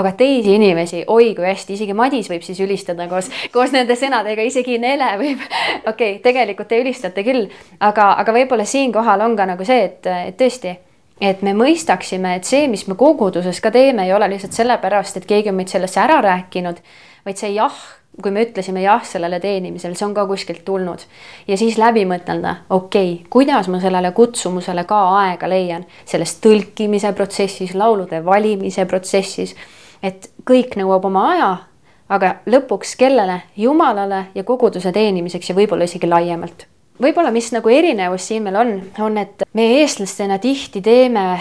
aga teisi inimesi, oi kui hästi, isegi Madis võib siis ülistada koos nende sõnadega, isegi Nele võib, okei, tegelikult te ülistate küll, aga võib-olla siinkohal on ka nagu see, et tõesti, et me mõistaksime, et see, mis me koguduses ka teeme, ei ole lihtsalt sellepärast, et keegi on meid sellesse ära rääkinud, vaid see jah, kui me ütlesime jah sellele teenimisele, see on ka kuskilt tulnud. Ja siis läbi mõtelda, okei, kuidas ma sellele kutsumusele ka aega leian, selles tõlkimise protsessis, laulude valimise protsessis, et kõik nõuab oma aja, aga lõpuks kellele? Jumalale ja koguduse teenimiseks ja võib-olla isegi laiemalt. Võib-olla mis nagu erinevus siin meil on, et meie eestlastena tihti teeme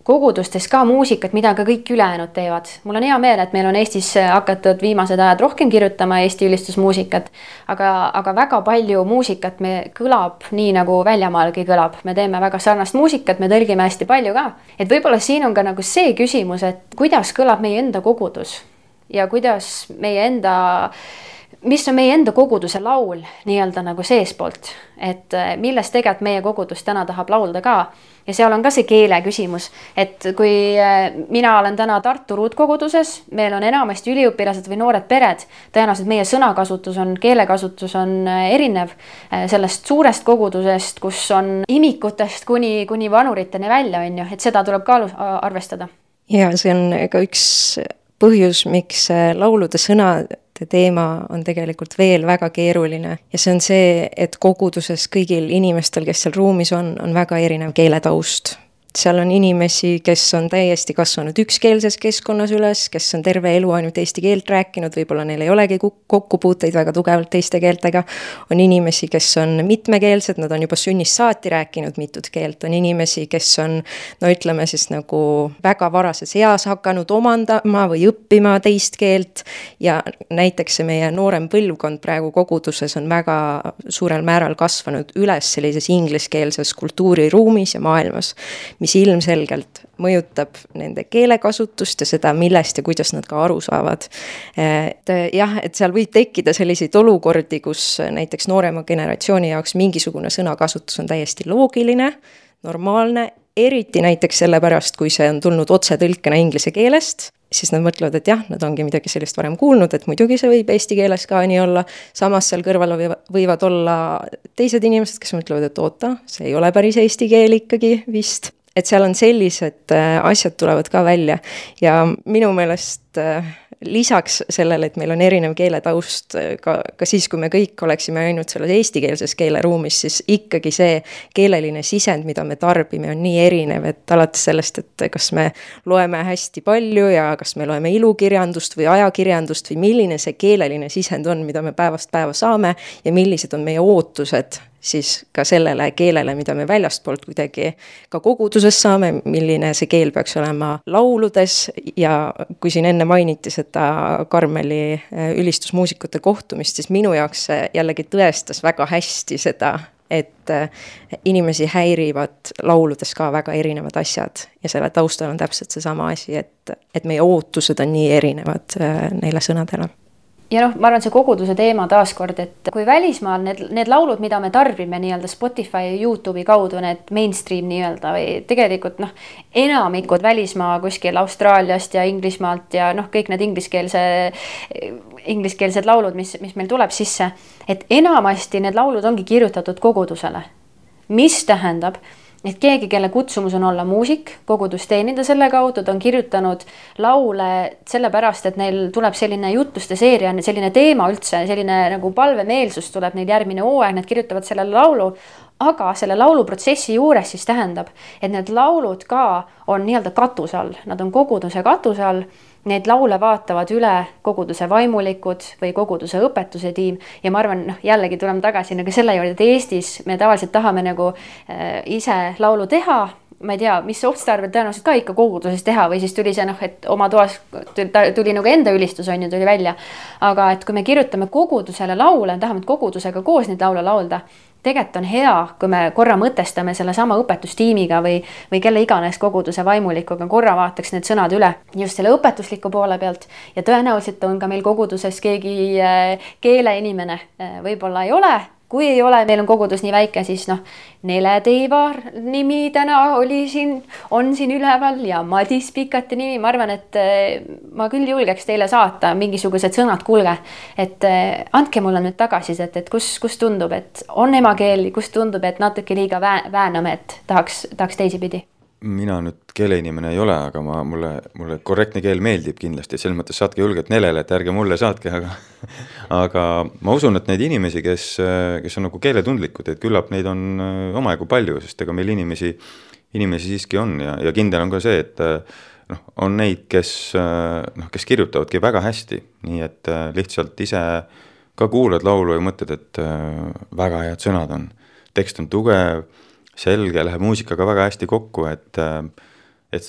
kogudustes ka muusikat, mida ka kõik ülejäänud teevad. Mul on hea meel, et meil on Eestis hakatud viimased ajad rohkem kirjutama Eesti ülistusmuusikat, aga väga palju muusikat me kõlab nii, nagu väljamaalgi kõlab. Me teeme väga sarnast muusikat, me tõlgime hästi palju ka. Et võib-olla siin on ka nagu see küsimus, et kuidas kõlab meie enda kogudus ja kuidas mis on meie enda koguduse laul nii-öelda nagu seespoolt, et millest tegelikult meie kogudus täna tahab laulda ka. Ja seal on ka see keele küsimus, et kui mina olen täna Tartu ruutkoguduses, meil on enamasti üliõpilased või noored pered, tõenäoliselt meie sõnakasutus on, keelekasutus on erinev sellest suurest kogudusest, kus on imikutest kuni vanuriteni välja, on ju, et seda tuleb ka arvestada. Ja see on ka üks põhjus, miks laulude sõnade teema on tegelikult veel väga keeruline ja see on see, et koguduses kõigil inimestel, kes seal ruumis on väga erinev keeletaust. Seal on inimesi, kes on täiesti kasvanud ükskeelses keskkonnas üles, kes on terve elu ainult eesti keelt rääkinud, võib-olla neil ei olegi kokkupuuteid väga tugevalt teiste keeltega. On inimesi, kes on mitmekeelsed, nad on juba sünnist saati rääkinud mitut keelt. On inimesi, kes on, ütleme siis nagu väga varases eas hakanud omandama või õppima teist keelt ja näiteks see meie noorem põlvkond praegu koguduses on väga suurel määral kasvanud üles sellises ingliskeelses kultuuriruumis ja maailmas, mis ilmselgelt mõjutab nende keelekasutust ja seda, millest ja kuidas nad ka aru saavad. Et seal võib tekkida selliseid olukordi, kus näiteks noorema generatsiooni jaoks mingisugune sõnakasutus on täiesti loogiline, normaalne, eriti näiteks sellepärast, kui see on tulnud otsetõlkena inglise keelest, siis nad mõtlevad, et jah, nad ongi midagi sellist varem kuulnud, et muidugi see võib eesti keeles ka nii olla. Samas seal kõrval võivad olla teised inimesed, kes mõtlevad, et oota, see ei ole päris eesti keel ikkagi vist. Et seal on sellised asjad tulevad ka välja ja minu meelest lisaks sellele, et meil on erinev keeletaust ka siis, kui me kõik oleksime ainult selles eestikeelses keeleruumis, siis ikkagi see keeleline sisend, mida me tarbime, on nii erinev, et alates sellest, et kas me loeme hästi palju ja kas me loeme ilukirjandust või ajakirjandust või milline see keeleline sisend on, mida me päevast päeva saame ja millised on meie ootused siis ka sellele keelele, mida me väljastpoolt kuidagi ka koguduses saame, milline see keel peaks olema lauludes ja kui siin enne mainiti seda Karmeli ülistusmuusikute kohtumist, siis minu jaoks see jällegi tõestas väga hästi seda, et inimesi häirivad lauludes ka väga erinevad asjad ja selle taustal on täpselt seesama asi, et meie ootused on nii erinevad neile sõnadele. Ja ma arvan, see koguduse teema taaskord, et kui välismaal need laulud, mida me tarbime nii-öelda Spotify ja YouTube'i kaudu, need mainstream nii-öelda või tegelikult enamikud välismaa kuskil Austraaliast ja Inglismaalt ja kõik need ingliskeelsed laulud, mis meil tuleb sisse, et enamasti need laulud ongi kirjutatud kogudusele, mis tähendab, et keegi, kelle kutsumus on olla muusik, kogudus teenida selle kaudu, ta on kirjutanud laule sellepärast, et neil tuleb selline jutluste seeria, selline teema üldse, selline nagu palvemeelsus tuleb neil järgmine hooaeg, nad kirjutavad selle laulu, aga selle lauluprotsessi juures siis tähendab, et need laulud ka on nii-öelda katuse all, nad on koguduse katuse all, neid laule vaatavad üle koguduse vaimulikud või koguduse õpetuse tiim ja ma arvan, jällegi tuleme tagasi selle juurde, et Eestis me tavaliselt tahame nagu ise laulu teha, ma ei tea, mis otstarvel tõenäoliselt ka ikka koguduses teha või siis tuli see, et oma toas tuli nagu enda ülistus on ju, tuli välja. Aga et kui me kirjutame kogudusele laule, tahame kogudusega koos neid laule laulda, tegelikult on hea, kui me korra mõtestame selle sama õpetustiimiga või kelle iganes koguduse vaimulikuga, korra vaataks need sõnad üle just selle õpetusliku poole pealt ja tõenäoliselt on ka meil koguduses keegi keeleinimene, võib-olla ei ole, kui ei ole, meil on kogudus nii väike, siis Nele Teivar nimi täna on siin üleval ja Madis Pikati nimi. Ma arvan, et ma küll julgeks teile saata mingisugused sõnad, kuulge, et andke mulle nüüd tagasisid, et kus tundub, et on emakeel, kus tundub, et natuke liiga vääname, et tahaks teisipidi. Mina nüüd keeleinimene ei ole, aga mulle korrektne keel meeldib kindlasti, et selles mõttes saatke julgelt Nelele, et ärge mulle saatke, aga ma usun, et neid inimesi, kes on nagu keeletundlikud, et küllap neid on omajagu palju, sest ega meil inimesi siiski on ja kindel on ka see, et on neid, kes kirjutavadki väga hästi, nii et lihtsalt ise ka kuulad laulu ja mõtled, et väga head sõnad on, tekst on tugev, selge, läheb muusikaga väga hästi kokku, et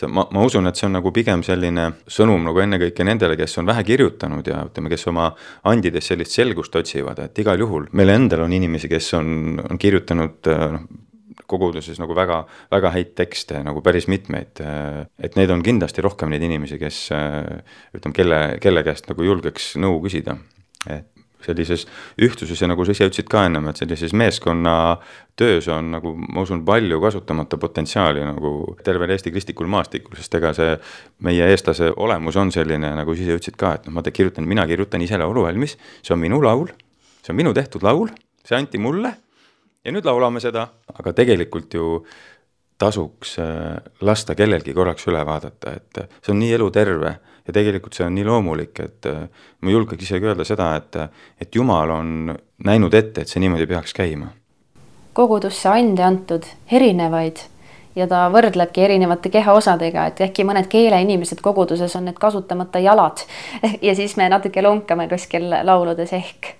ma usun, et see on nagu pigem selline sõnum nagu ennekõike nendele, kes on vähe kirjutanud ja ütleme, kes oma andides sellist selgust otsivad, et igal juhul meil endal on inimesi, kes on kirjutanud koguduses nagu väga, väga häid tekste, nagu päris mitmeid, et neid on kindlasti rohkem neid inimesi, kes ütleme, kelle käest nagu julgeks nõu küsida, et sellises ühtsuses ja nagu sa ise ütlesid ka ennem, et sellises meeskonna töös on nagu, ma usun, palju kasutamata potentsiaali nagu tervel Eesti kristlikul maastikul, sest ega see meie eestlase olemus on selline, nagu sa ise ütlesid ka, et mina kirjutan ise laulu valmis, see on minu laul, see on minu tehtud laul, see anti mulle ja nüüd laulame seda, aga tegelikult ju tasuks lasta kellelgi korraks üle vaadata, et see on nii eluterve ja tegelikult see on nii loomulik, et ma julgeks isegi öelda seda, et Jumal on näinud ette, et see niimoodi peaks käima. Kogudusse ande antud erinevaid ja ta võrdlebki erinevate kehaosadega, et äkki mõned keeleinimesed koguduses on need kasutamata jalad ja siis me natuke lonkame kuskil lauludes ehk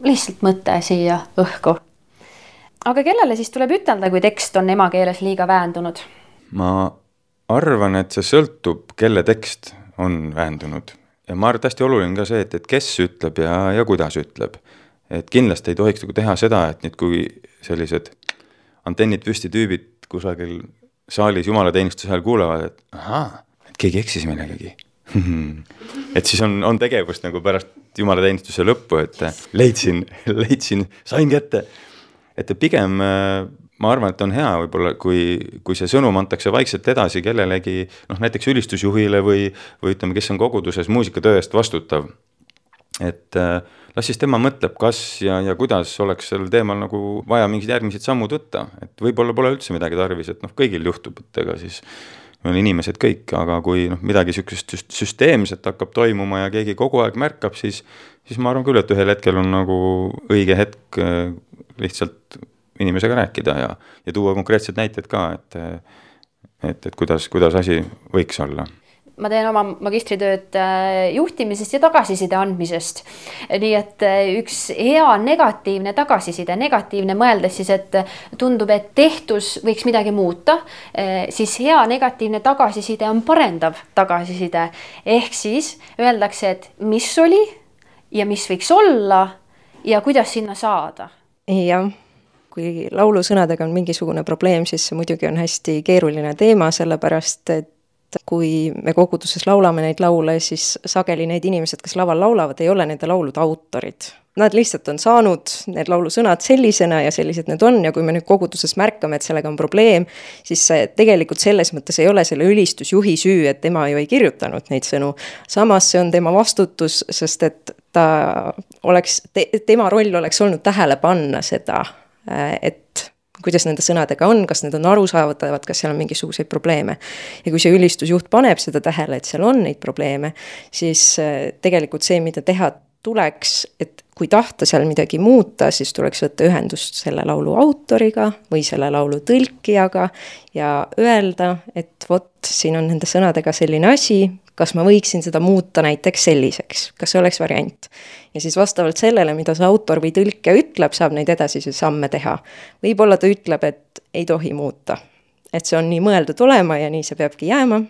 lihtsalt mõte siia õhku. Aga kellele siis tuleb ütelda, kui tekst on emakeeles liiga väändunud? Ma arvan, et see sõltub, kelle tekst on väändunud. Ja ma arvan, hästi oluline ka see, et kes ütleb ja kuidas ütleb. Et kindlasti ei tohiks teha seda, et nüüd kui sellised antennid püsti tüübid kusagil saalis jumalateenistuse ajal kuulevad, et keegi eksis millegagi. Et siis on tegevust nagu pärast jumalateenistuse lõppu, et leidsin, sain kätte. Et pigem ma arvan, et on hea võib-olla, kui see sõnum antakse vaikselt edasi kellelegi, näiteks ülistusjuhile või ütleme, kes on koguduses muusikatöö eest vastutav. Et las siis tema mõtleb, kas ja kuidas oleks sellel teemal nagu vaja mingid järgmised sammud võtta. Et võib-olla pole üldse midagi tarvis, et kõigil juhtub, et ega siis me oleme inimesed kõik, aga kui midagi niisugust süsteemset hakkab toimuma ja keegi kogu aeg märkab, siis ma arvan küll, et ühel hetkel on nagu õige hetk lihtsalt inimesega rääkida ja tuua konkreetsed näited ka, et kuidas asi võiks olla. Ma teen oma magistritööd juhtimisest ja tagasiside andmisest. Nii et üks hea negatiivne tagasiside, negatiivne mõeldes siis, et tundub, et tehtus võiks midagi muuta, siis hea negatiivne tagasiside on parendav tagasiside. Ehk siis öeldakse, et mis oli ja mis võiks olla ja kuidas sinna saada. Jah, kui laulusõnadega on mingisugune probleem, siis see muidugi on hästi keeruline teema, sellepärast, et kui me koguduses laulame neid laule, siis sageli need inimesed, kes laval laulavad, ei ole nende laulude autorid. Nad lihtsalt on saanud need laulusõnad sellisena ja sellised need on ja kui me nüüd koguduses märkame, et sellega on probleem, siis tegelikult selles mõttes ei ole selle ülistusjuhi süü, et tema ju ei kirjutanud neid sõnu. Samas see on tema vastutus, sest et tema roll oleks olnud tähele panna seda, et kuidas nende sõnadega on, kas need on arusaadavad, kas seal on mingisuguseid probleeme. Ja kui see ülistusjuht paneb seda tähele, et seal on neid probleeme, siis tegelikult see, mida teha tuleks, et kui tahta seal midagi muuta, siis tuleks võtta ühendust selle laulu autoriga või selle laulu tõlkijaga ja öelda, et vot, siin on nende sõnadega selline asi, kas ma võiksin seda muuta näiteks selliseks, kas see oleks variant. Ja siis vastavalt sellele, mida see autor või tõlkija ütleb, saab neid edasisi samme teha. Võib-olla ta ütleb, et ei tohi muuta, et see on nii mõeldud olema ja nii see peabki jääma,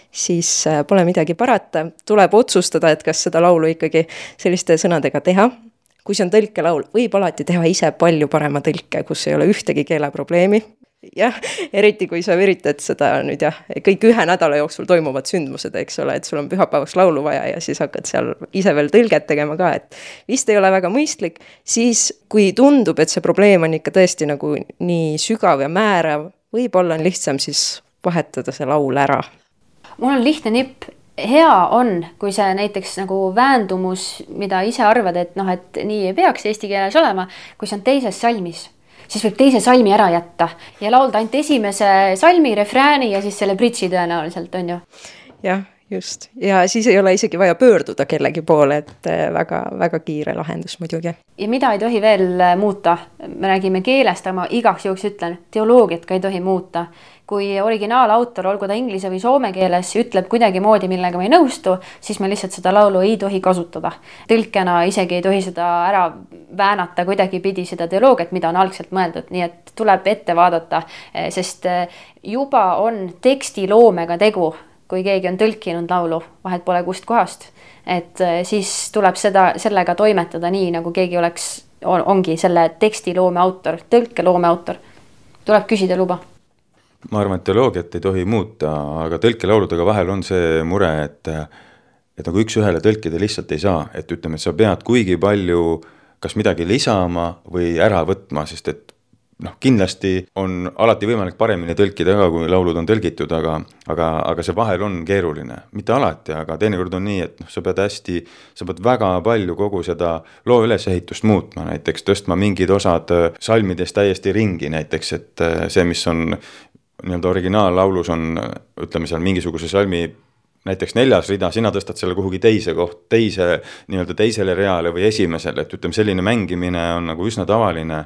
siis pole midagi parata, tuleb otsustada, et kas seda laulu ikkagi selliste sõnadega teha. Kui see on tõlkelaul, võib alati teha ise palju parema tõlke, kus ei ole ühtegi keeleprobleemi. Jah, eriti kui sa üritad seda nüüd kõik ühe nädala jooksul toimuvad sündmused, eks ole, et sul on pühapäevaks laulu vaja ja siis hakkad seal ise veel tõlget tegema ka, et vist ei ole väga mõistlik, siis kui tundub, et see probleem on ikka tõesti nagu nii sügav ja määrav, võib-olla on lihtsam siis vahetada see laul ära. Mul on lihtne nipp. Hea on, kui see näiteks nagu väändumus, mida ise arvad, et et nii ei peaks eesti keeles olema, kui see on teises salmis, siis võib teise salmi ära jätta ja laulda ainult esimese salmi, refrääni ja siis selle bridži tõenäoliselt on ju. Jah, just. Ja siis ei ole isegi vaja pöörduda kellegi poole, et väga, väga kiire lahendus muidugi. Ja mida ei tohi veel muuta? Me räägime keelest, aga ma igaks juhuks ütlen, teoloogiat ka ei tohi muuta. Kui originaalautor, olgu ta inglise või soome keeles, ütleb kuidagi moodi, millega ma ei nõustu, siis me lihtsalt seda laulu ei tohi kasutada. Tõlkena isegi ei tohi seda ära väänata kuidagi pidi seda teoloogiat, mida on algselt mõeldud. Nii et tuleb ette vaadata, sest juba on tekstiloomega tegu, kui keegi on tõlkinud laulu, vahet pole kust kohast. Et siis tuleb sellega toimetada nii, nagu keegi ongi selle tekstiloome autor, tõlkeloome autor. Tuleb küsida luba. Ma arvan, et teoloogiat ei tohi muuta, aga tõlkelauludega vahel on see mure, et nagu üks ühele tõlkida lihtsalt ei saa, et ütleme, et sa pead kuigi palju kas midagi lisama või ära võtma, sest et kindlasti on alati võimalik paremini tõlkida ka, kui laulud on tõlgitud, aga see vahel on keeruline. Mitte alati, aga teinekord on nii, et sa pead väga palju kogu seda loo ülesehitust muutma, näiteks tõstma mingid osad salmidest täiesti ringi, näiteks, et see, mis on nii-öelda originaal-laulus on, ütleme seal mingisuguse salmi näiteks 4. rida, sina tõstad selle kuhugi teisele reale või esimesele, et ütleme, selline mängimine on nagu üsna tavaline,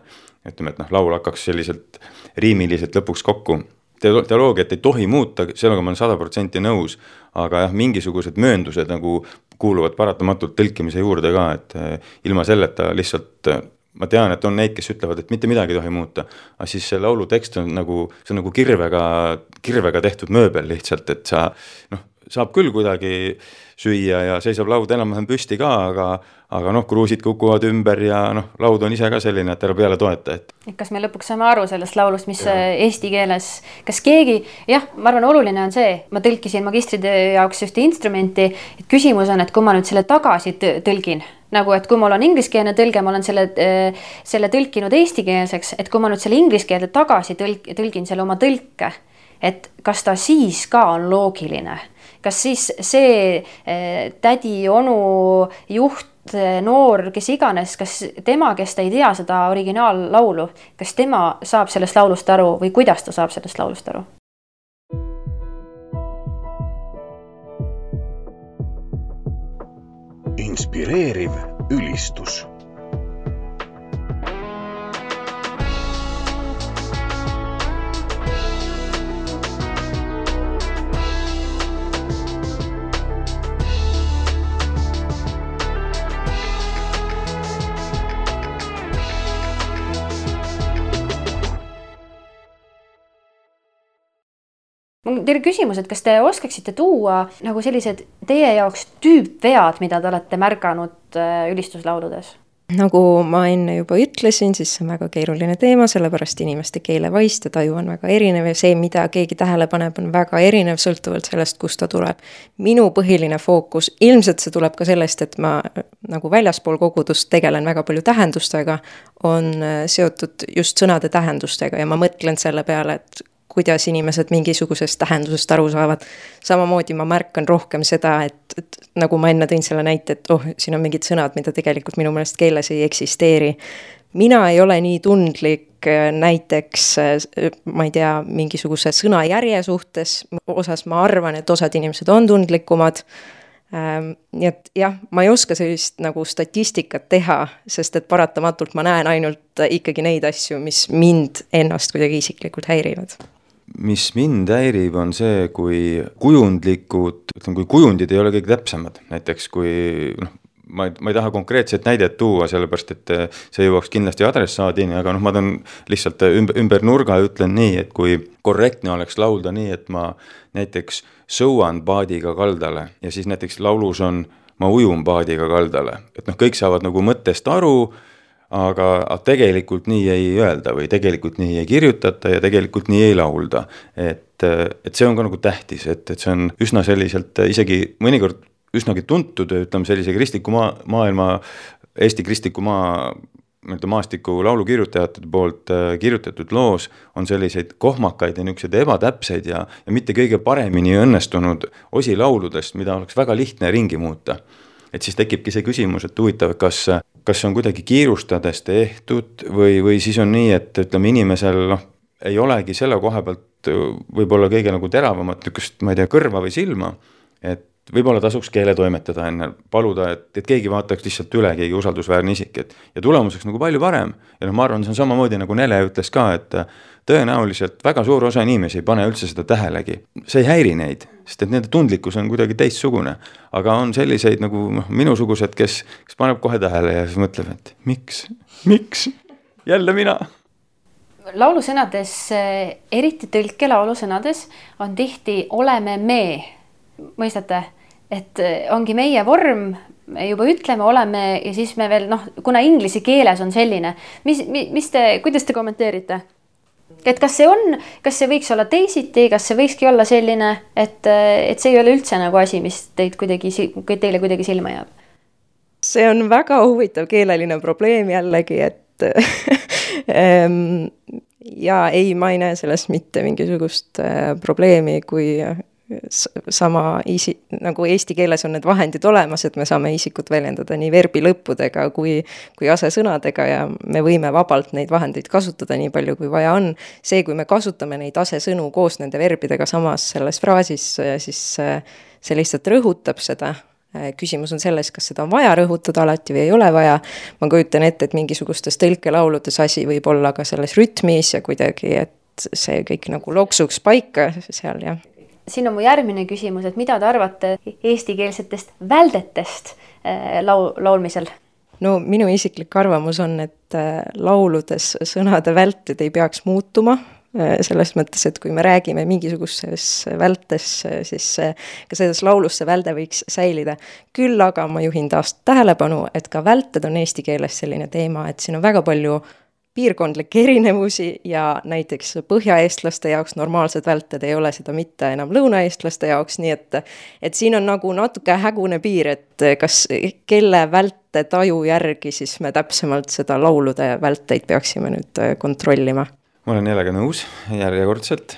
ütleme, et laul hakkaks selliselt riimiliselt lõpuks kokku. Teoloogiat ei tohi muuta, sellega ma olen 100% nõus, aga mingisugused mööndused nagu kuuluvad paratamatult tõlkimise juurde ka, et ilma selleta lihtsalt ma tean, et on neid, kes ütlevad, et mitte midagi tohi muuta, aga siis see laulu tekst on nagu kirvega tehtud mööbel lihtsalt, et saab küll kuidagi süüa ja seisab laud enam-vähem püsti ka, aga kruusid kukuvad ümber ja laud on ise ka selline, et ära peale toeta. Kas me lõpuks saame aru sellest laulust, mis eesti keeles, kas keegi, ma arvan, oluline on see, ma tõlkisin magistritöö jaoks ühte instrumenti, et küsimus on, et kui ma nüüd selle tagasi tõlgin, nagu, et kui mul on ingliskeelne tõlge, ma olen selle tõlkinud eestikeelseks, et kui ma nüüd selle ingliskeelde tagasi tõlgin selle oma tõlke, et kas ta siis ka on loogiline? Kas siis see tädi, onu, juht, noor, kes iganes, kas tema, kes ta ei tea seda originaallaulu, kas tema saab sellest laulust aru või kuidas ta saab sellest laulust aru? Inspireeriv ülistus. Teile küsimus, et kas te oskaksite tuua nagu sellised teie jaoks tüüpvead, mida te olete märganud ülistuslauludes? Nagu ma enne juba ütlesin, siis see on väga keeruline teema, sellepärast inimeste keelevaist ja taju on väga erinev ja see, mida keegi tähele paneb, on väga erinev sõltuvalt sellest, kust ta tuleb. Minu põhiline fookus, ilmselt see tuleb ka sellest, et ma nagu väljaspool kogudust tegelen väga palju tähendustega, on seotud just sõnade tähendustega ja ma mõtlen selle peale, et kuidas inimesed mingisugusest tähendusest aru saavad. Samamoodi ma märkan rohkem seda, et nagu ma enne tõin selle näite, et siin on mingid sõnad, mida tegelikult minu meelest keeles ei eksisteeri. Mina ei ole nii tundlik näiteks, ma ei tea, mingisuguse sõnajärje suhtes, osas ma arvan, et osad inimesed on tundlikumad. Nii et jah, ma ei oska sellist nagu statistikat teha, sest et paratamatult ma näen ainult ikkagi neid asju, mis mind ennast kuidagi isiklikult häirivad. Mis mind häirib, on see, kui kujundlikud, kui kujundid ei ole kõik täpsemad. Näiteks kui, ma ei taha konkreetset näidet tuua, sellepärast, et see jõuaks kindlasti adressaadini, aga ma tahan lihtsalt ümber nurga ütlen nii, et kui korrektne oleks laulda nii, et ma näiteks sõuan paadiga kaldale ja siis näiteks laulus on ma ujun paadiga kaldale. Et kõik saavad nagu mõttest aru, aga tegelikult nii ei öelda või tegelikult nii ei kirjutata ja tegelikult nii ei laulda. Et see on ka nagu tähtis, et see on üsna selliselt isegi mõnikord üsnagi tuntud, ütleme sellise kristliku maailma, Eesti kristliku maastiku laulukirjutajate poolt kirjutatud loos on selliseid kohmakaid ja niisuguseid ebatäpseid ja mitte kõige paremini õnnestunud osi lauludest, mida oleks väga lihtne ringi muuta. Et siis tekibki see küsimus, et huvitav, kas on kuidagi kiirustades tehtud või siis on nii, et ütleme inimesel ei olegi selle koha pealt võib-olla kõige nagu teravamat niisugust, ma ei tea, kõrva või silma, et võib-olla tasuks keele toimetada enne, paluda, et keegi vaataks lihtsalt üle, keegi usaldusväärne isik, ja tulemuseks nagu palju parem. Ja ma arvan, see on samamoodi nagu Nele ütles ka, et tõenäoliselt väga suur osa inimesi ei pane üldse seda tähelegi. See ei häiri neid, sest et nende tundlikkus on kuidagi teistsugune. Aga on selliseid nagu minusugused, kes paneb kohe tähele ja siis mõtleb, et miks? Jälle mina? Laulusõnades, eriti tõlke laulusõnades, on tihti oleme me. Mõistate? Et ongi meie vorm, me juba ütleme, oleme ja siis me veel, kuna inglise keeles on selline, kuidas te kommenteerite? Et kas see võiks olla teisiti, kas see võikski olla selline, et see ei ole üldse nagu asi, mis teile kuidagi silma jääb? See on väga huvitav keeleline probleem jällegi, et ja ei, ma ei näe sellest mitte mingisugust probleemi, kui sama nagu eesti keeles on need vahendid olemas, et me saame isikut väljendada nii verbi lõppudega kui asesõnadega ja me võime vabalt neid vahendeid kasutada nii palju, kui vaja on. See, kui me kasutame neid asesõnu koos nende verbidega samas selles fraasis, siis see lihtsalt rõhutab seda. Küsimus on selles, kas seda on vaja rõhutada alati või ei ole vaja. Ma kujutan ette, et mingisugustes tõlkelauludes asi võib olla ka selles rütmis ja kuidagi, et see kõik nagu loksuks paika seal, jah. Siin on mu järgmine küsimus, et mida te arvate eestikeelsetest väldetest laulmisel? No minu isiklik arvamus on, et lauludes sõnade välted ei peaks muutuma. Selles mõttes, et kui me räägime mingisuguses vältes, siis ka selles laulus see välde võiks säilida. Küll aga ma juhin taas tähelepanu, et ka välted on eesti keeles selline teema, et siin on väga palju piirkondlikke erinevusi ja näiteks põhjaeestlaste jaoks normaalsed välted ei ole seda mitte enam lõunaeestlaste jaoks, nii et siin on nagu natuke hägune piir, et kas kelle välte taju järgi siis me täpsemalt seda laulude välteid peaksime nüüd kontrollima. Ma olen jällegi nõus järjekordselt.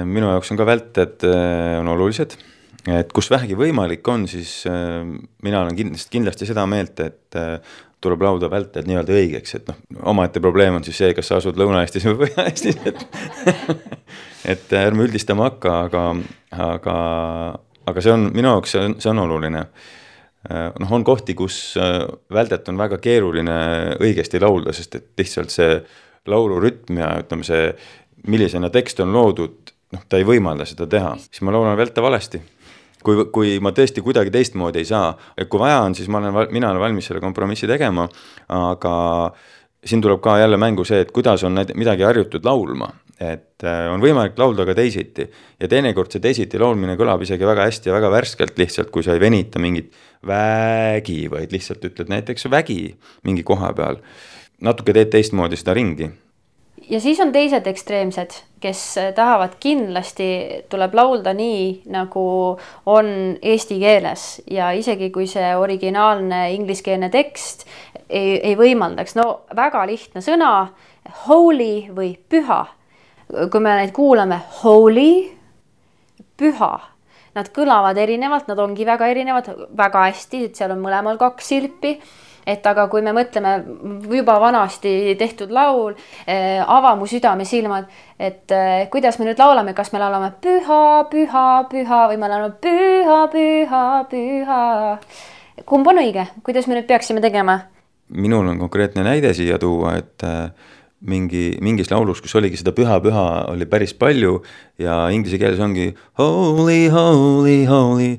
Minu jaoks on ka välted on olulised. Et kus vähegi võimalik on, siis mina olen kindlasti seda meelt, et tuleb lauda välted nii-öelda õigeks, et omaette probleem on siis see, kas sa asud Lõuna-Eestis või Põhja-Eestis, et ärme üldistama hakka, aga see on minu jaoks, see on oluline. on kohti, kus väldet on väga keeruline õigesti laulda, sest et lihtsalt see laulurütm ja ütleme see, millisena tekst on loodud, ta ei võimalda seda teha, siis ma laulan välte valesti. Kui ma tõesti kuidagi teistmoodi ei saa, et kui vaja on, siis mina olen valmis selle kompromissi tegema, aga siin tuleb ka jälle mängu see, et kuidas on midagi harjutud laulma, et on võimalik laulda ka teisiti ja teinekord see teisiti laulmine kõlab isegi väga hästi ja väga värskelt lihtsalt, kui sa ei venita mingit vägi, vaid lihtsalt ütled näiteks vägi mingi koha peal, natuke teed teistmoodi seda ringi. Ja siis on teised ekstreemsed, kes tahavad kindlasti, tuleb laulda nii, nagu on eesti keeles ja isegi kui see originaalne ingliskeelne tekst ei võimaldaks. No väga lihtne sõna, holy või püha. Kui me neid kuulame, holy, püha, nad kõlavad erinevalt, nad ongi väga erinevad, väga hästi, et seal on mõlemal 2 silpi. Et aga kui me mõtleme juba vanasti tehtud laul, ava mu südame silmad, et kuidas me nüüd laulame, kas me laulame püha, püha, püha või me laulame püha, püha, püha. Kumb on õige? Kuidas me nüüd peaksime tegema? Minul on konkreetne näide siia tuua, et mingis laulus, kus oligi seda püha oli päris palju ja inglise keeles ongi holy, holy, holy.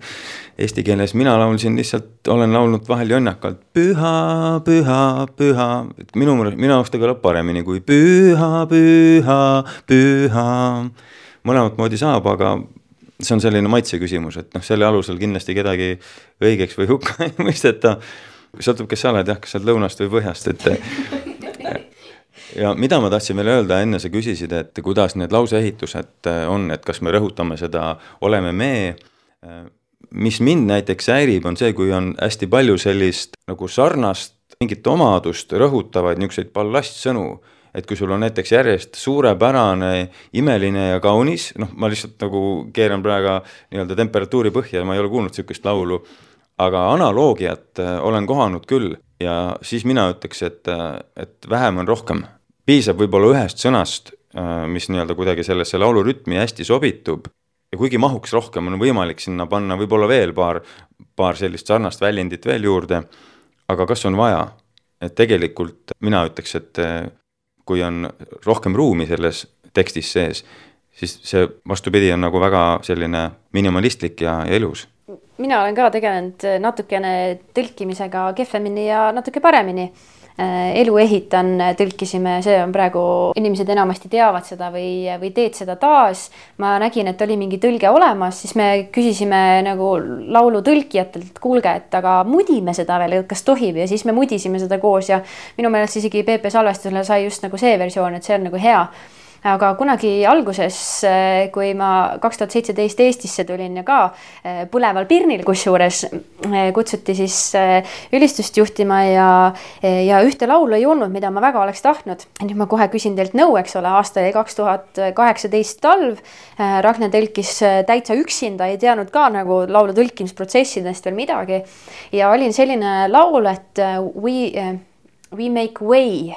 Eesti keeles mina laulsin lihtsalt, olen laulnud vahel jonnakalt püha, püha, püha. Minu jaoks ta kõlab paremini kui püha, püha, püha. Mõlemat moodi saab, aga see on selline maitse küsimus, et selle alusel kindlasti kedagi õigeks või hukka ei mõisteta. Sõltub, kes sa oled, kas sa oled lõunast või põhjast, ja mida ma tahtsin veel öelda, enne sa küsisid, et kuidas need lauseehitused on, et kas me rõhutame seda, oleme me. Mis mind näiteks häirib, on see, kui on hästi palju sellist nagu sarnast mingit omadust rõhutavaid niisuguseid ballastsõnu, et kui sul on näiteks järjest suurepärane, imeline ja kaunis, ma lihtsalt nagu keeran praegu nii-öelda temperatuuri põhja, ma ei ole kuulnud niisugust laulu, aga analoogiat olen kohanud küll ja siis mina ütleks, et vähem on rohkem. Piisab võib-olla ühest sõnast, mis nii-öelda kuidagi sellesse laulurütmi hästi sobitub ja kuigi mahuks rohkem, on võimalik sinna panna võib-olla veel paar sellist sarnast väljendit veel juurde, aga kas on vaja? Et tegelikult mina ütleks, et kui on rohkem ruumi selles tekstis sees, siis see vastupidi on nagu väga selline minimalistlik ja ilus. Mina olen ka tegelenud natukene tõlkimisega kehvemini ja natuke paremini. Elu ehitan, tõlkisime, see on praegu, inimesed enamasti teavad seda või teed seda taas. Ma nägin, et oli mingi tõlge olemas, siis me küsisime nagu laulu tõlkijatelt, kuulge, et aga mudime seda veel, kas tohib ja siis me mudisime seda koos ja minu meelest isegi PP salvestusele sai just nagu see versioon, et see on nagu hea. Aga kunagi alguses, kui ma 2017 Eestisse tulin ja ka Põleval Pirnil kusjuures kutsuti siis ülistust juhtima ja ühte laulu ei olnud, mida ma väga oleks tahtnud. Nüüd ma kohe küsin teilt nõu, eks ole, aasta 2018 talv. Ragne tõlkis täitsa üksinda, ei teadnud ka nagu laulu tõlkimisprotsessidest veel midagi. Ja olin selline laul, et we make way.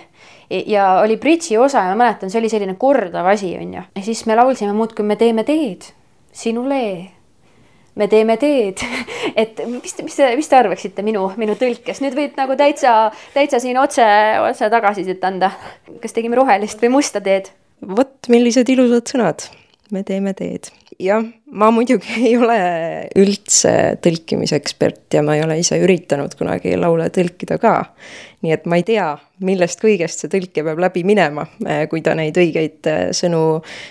Ja oli bridži osa ja ma mäletan, see oli selline kordav asi, on ju. Ja siis me laulsime muud, kui me teeme teed, sinule, me teeme teed. Et mis te arvaksite minu tõlkes? Nüüd võid nagu täitsa siin otse tagasisidet anda. Kas tegime rohelist või musta teed? Vot, millised ilusad sõnad. Me teeme teed. Jah, ma muidugi ei ole üldse tõlkimisekspert ja ma ei ole ise üritanud kunagi laule tõlkida ka. Nii et ma ei tea, millest kõigest see tõlke peab läbi minema, kui ta neid õigeid sõnu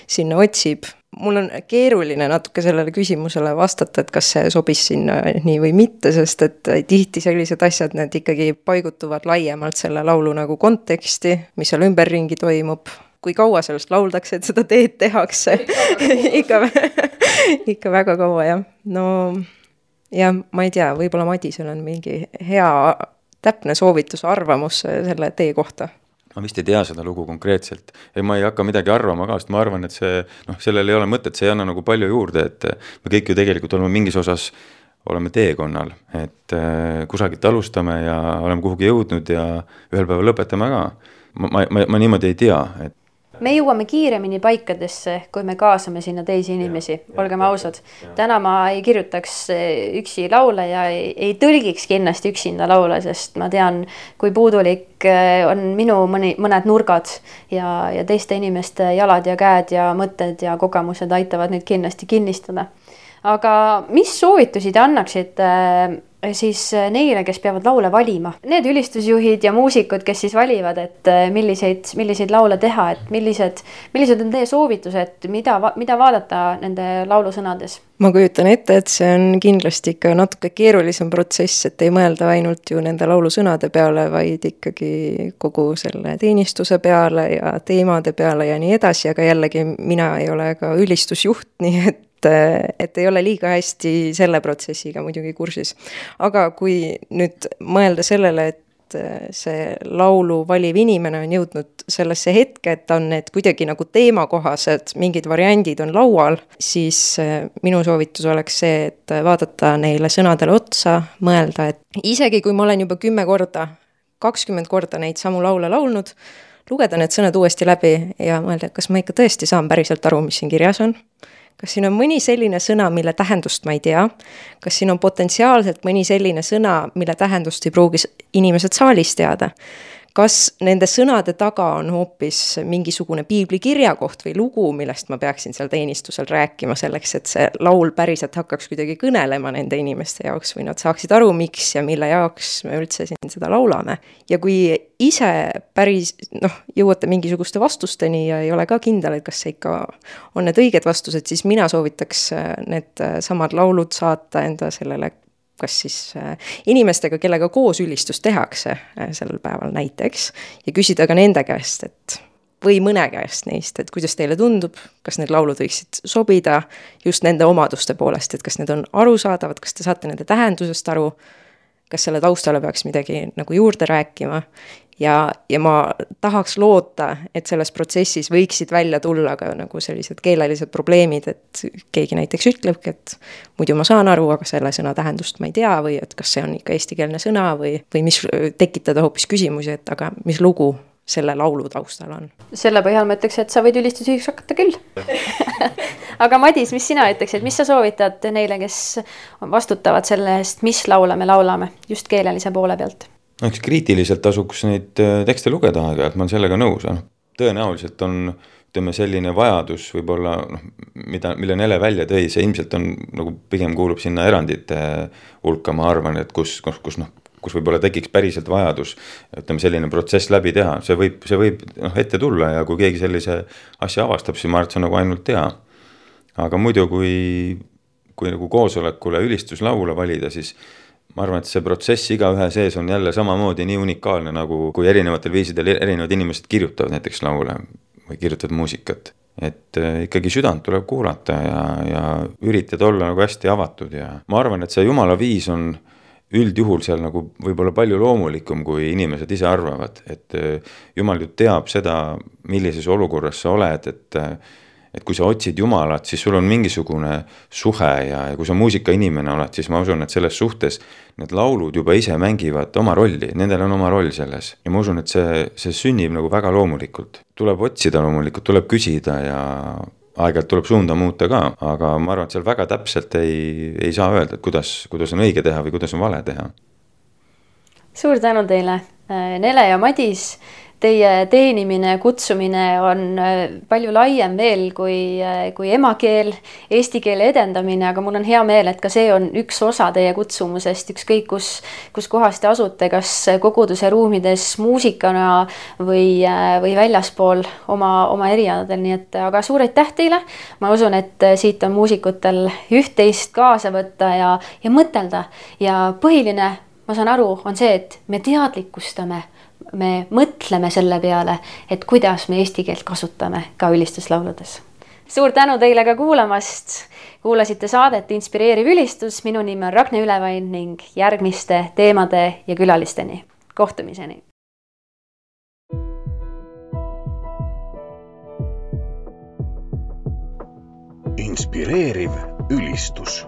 sinna otsib. Mul on keeruline natuke sellele küsimusele vastata, et kas see sobis sinna nii või mitte, sest et tihti sellised asjad, need ikkagi paigutuvad laiemalt selle laulu nagu konteksti, mis seal ümberringi toimub. Kui kaua sellest lauldakse, et seda teed tehakse. ikka väga kaua, jah. No, ja ma ei tea, võib-olla Madisel on mingi hea täpne soovitus, arvamus selle tee kohta. Ma vist ei tea seda lugu konkreetselt ja ma ei hakka midagi arvama ka, sest ma arvan, et sellel ei ole mõtet, see ei anna nagu palju juurde, et me kõik ju tegelikult oleme mingis osas oleme teekonnal, et kusagilt alustame ja oleme kuhugi jõudnud ja ühel päeval lõpetame ka. Ma niimoodi ei tea, et me jõuame kiiremini paikadesse, kui me kaasame sinna teisi inimesi, olgem ausad. Täna ma ei kirjutaks üksi laule ja ei tõlgiks kindlasti üksinda laule, sest ma tean, kui puudulik on minu mõned nurgad ja teiste inimeste jalad ja käed ja mõtted ja kogemused aitavad neid kindlasti kinnistada. Aga mis soovitusi te annaksite siis neile, kes peavad laule valima? Need ülistusjuhid ja muusikud, kes siis valivad, et milliseid laule teha, et millised on teie soovitused, mida vaadata nende laulusõnades? Ma kujutan ette, et see on kindlasti ikka natuke keerulisem protsess, et ei mõelda ainult ju nende laulusõnade peale, vaid ikkagi kogu selle teenistuse peale ja teemade peale ja nii edasi, aga jällegi mina ei ole ka ülistusjuht, nii et ei ole liiga hästi selle protsessiga muidugi kursis. Aga kui nüüd mõelda sellele, et see laulu valiv inimene on jõudnud sellesse hetke, et on need kuidagi nagu teemakohased, mingid variandid on laual, siis minu soovitus oleks see, et vaadata neile sõnadele otsa, mõelda, et isegi kui ma olen juba 10 korda, 20 korda neid samu laule laulnud, lugeda need sõnad uuesti läbi ja mõelda, kas ma ikka tõesti saan päriselt aru, mis siin kirjas on. Kas siin on mõni selline sõna, mille tähendust ma ei tea? Kas siin on potentsiaalselt mõni selline sõna, mille tähendust ei pruugi inimesed saalis teada? Kas nende sõnade taga on hoopis mingisugune piibli kirjakoht või lugu, millest ma peaksin seal teenistusel rääkima selleks, et see laul päriselt hakkaks kuidagi kõnelema nende inimeste jaoks või nad saaksid aru, miks ja mille jaoks me üldse siin seda laulame. Ja kui ise päris jõuate mingisuguste vastusteni ja ei ole ka kindel, et kas see ikka on need õiged vastused, siis mina soovitaks need samad laulud saata enda sellele kas siis inimestega, kellega koos ülistust tehakse sellel päeval näiteks ja küsida ka nende käest, et või mõne käest neist, et kuidas teile tundub, kas need laulud võiksid sobida just nende omaduste poolest, et kas need on arusaadavad, kas te saate nende tähendusest aru, kas selle taustale peaks midagi nagu juurde rääkima ja ma tahaks loota, et selles protsessis võiksid välja tulla ka nagu sellised keelelised probleemid, et keegi näiteks ütlebki, et muidu ma saan aru, aga selle sõna tähendust ma ei tea või et kas see on ikka eestikeelne sõna või mis tekitada hoopis küsimusi, et aga mis lugu selle laulu taustal on. Selle põhjal ma ütleks, et sa võid ülistusjuhiks hakata küll. Aga Madis, mis sina ütleksid, mis sa soovitad neile, kes vastutavad selle eest, mis laule me laulame just keelelise poole pealt? Eks kriitiliselt tasuks neid tekste lugeda aega, et ma olen sellega nõus. Tõenäoliselt on selline vajadus võib-olla, mille Nele välja tõi, see ilmselt on nagu pigem kuulub sinna erandite hulka, ma arvan, et kus võib-olla tekiks päriselt vajadus selline protsess läbi teha. See võib ette tulla ja kui keegi sellise asja avastab, siis ma arvan, et see on nagu ainult tea. Aga muidu, kui nagu koosolekule ülistuslaule valida, siis ma arvan, et see protsess igaühe sees on jälle samamoodi nii unikaalne, nagu kui erinevatel viisidel erinevad inimesed kirjutavad näiteks laule või kirjutavad muusikat. Et ikkagi südant tuleb kuulata ja üritada olla nagu hästi avatud ja ma arvan, et see Jumala viis on üldjuhul seal nagu võib-olla palju loomulikum, kui inimesed ise arvavad, et Jumal ju teab seda, millises olukorras sa oled, et kui sa otsid Jumalat, siis sul on mingisugune suhe ja kui sa muusikainimene oled, siis ma usun, et selles suhtes need laulud juba ise mängivad oma rolli, nendel on oma roll selles. Ja ma usun, et see sünnib nagu väga loomulikult. Tuleb otsida loomulikult, tuleb küsida ja aeg-ajalt tuleb suunda muuta ka, aga ma arvan, et seal väga täpselt ei saa öelda, et kuidas on õige teha või kuidas on vale teha. Suur tänu teile, Nele ja Madis. Teie teenimine, kutsumine on palju laiem veel kui emakeel, eesti keele edendamine, aga mul on hea meel, et ka see on üks osa teie kutsumusest, ükskõik kus kohas te asute, kas koguduse ruumides muusikana või väljaspool oma erialadel, nii et aga suur aitäh teile. Ma usun, et siit on muusikutel üht-teist kaasa võtta ja mõtelda ja põhiline, ma saan aru, on see, et me teadlikustame, me mõtleme selle peale, et kuidas me eesti keelt kasutame ka ülistuslauludes. Suur tänu teile ka kuulamast. Kuulasite saadet Inspireeriv ülistus. Minu nimi on Ragne Ülevain ning järgmiste teemade ja külalisteni. Kohtumiseni. Inspireeriv ülistus.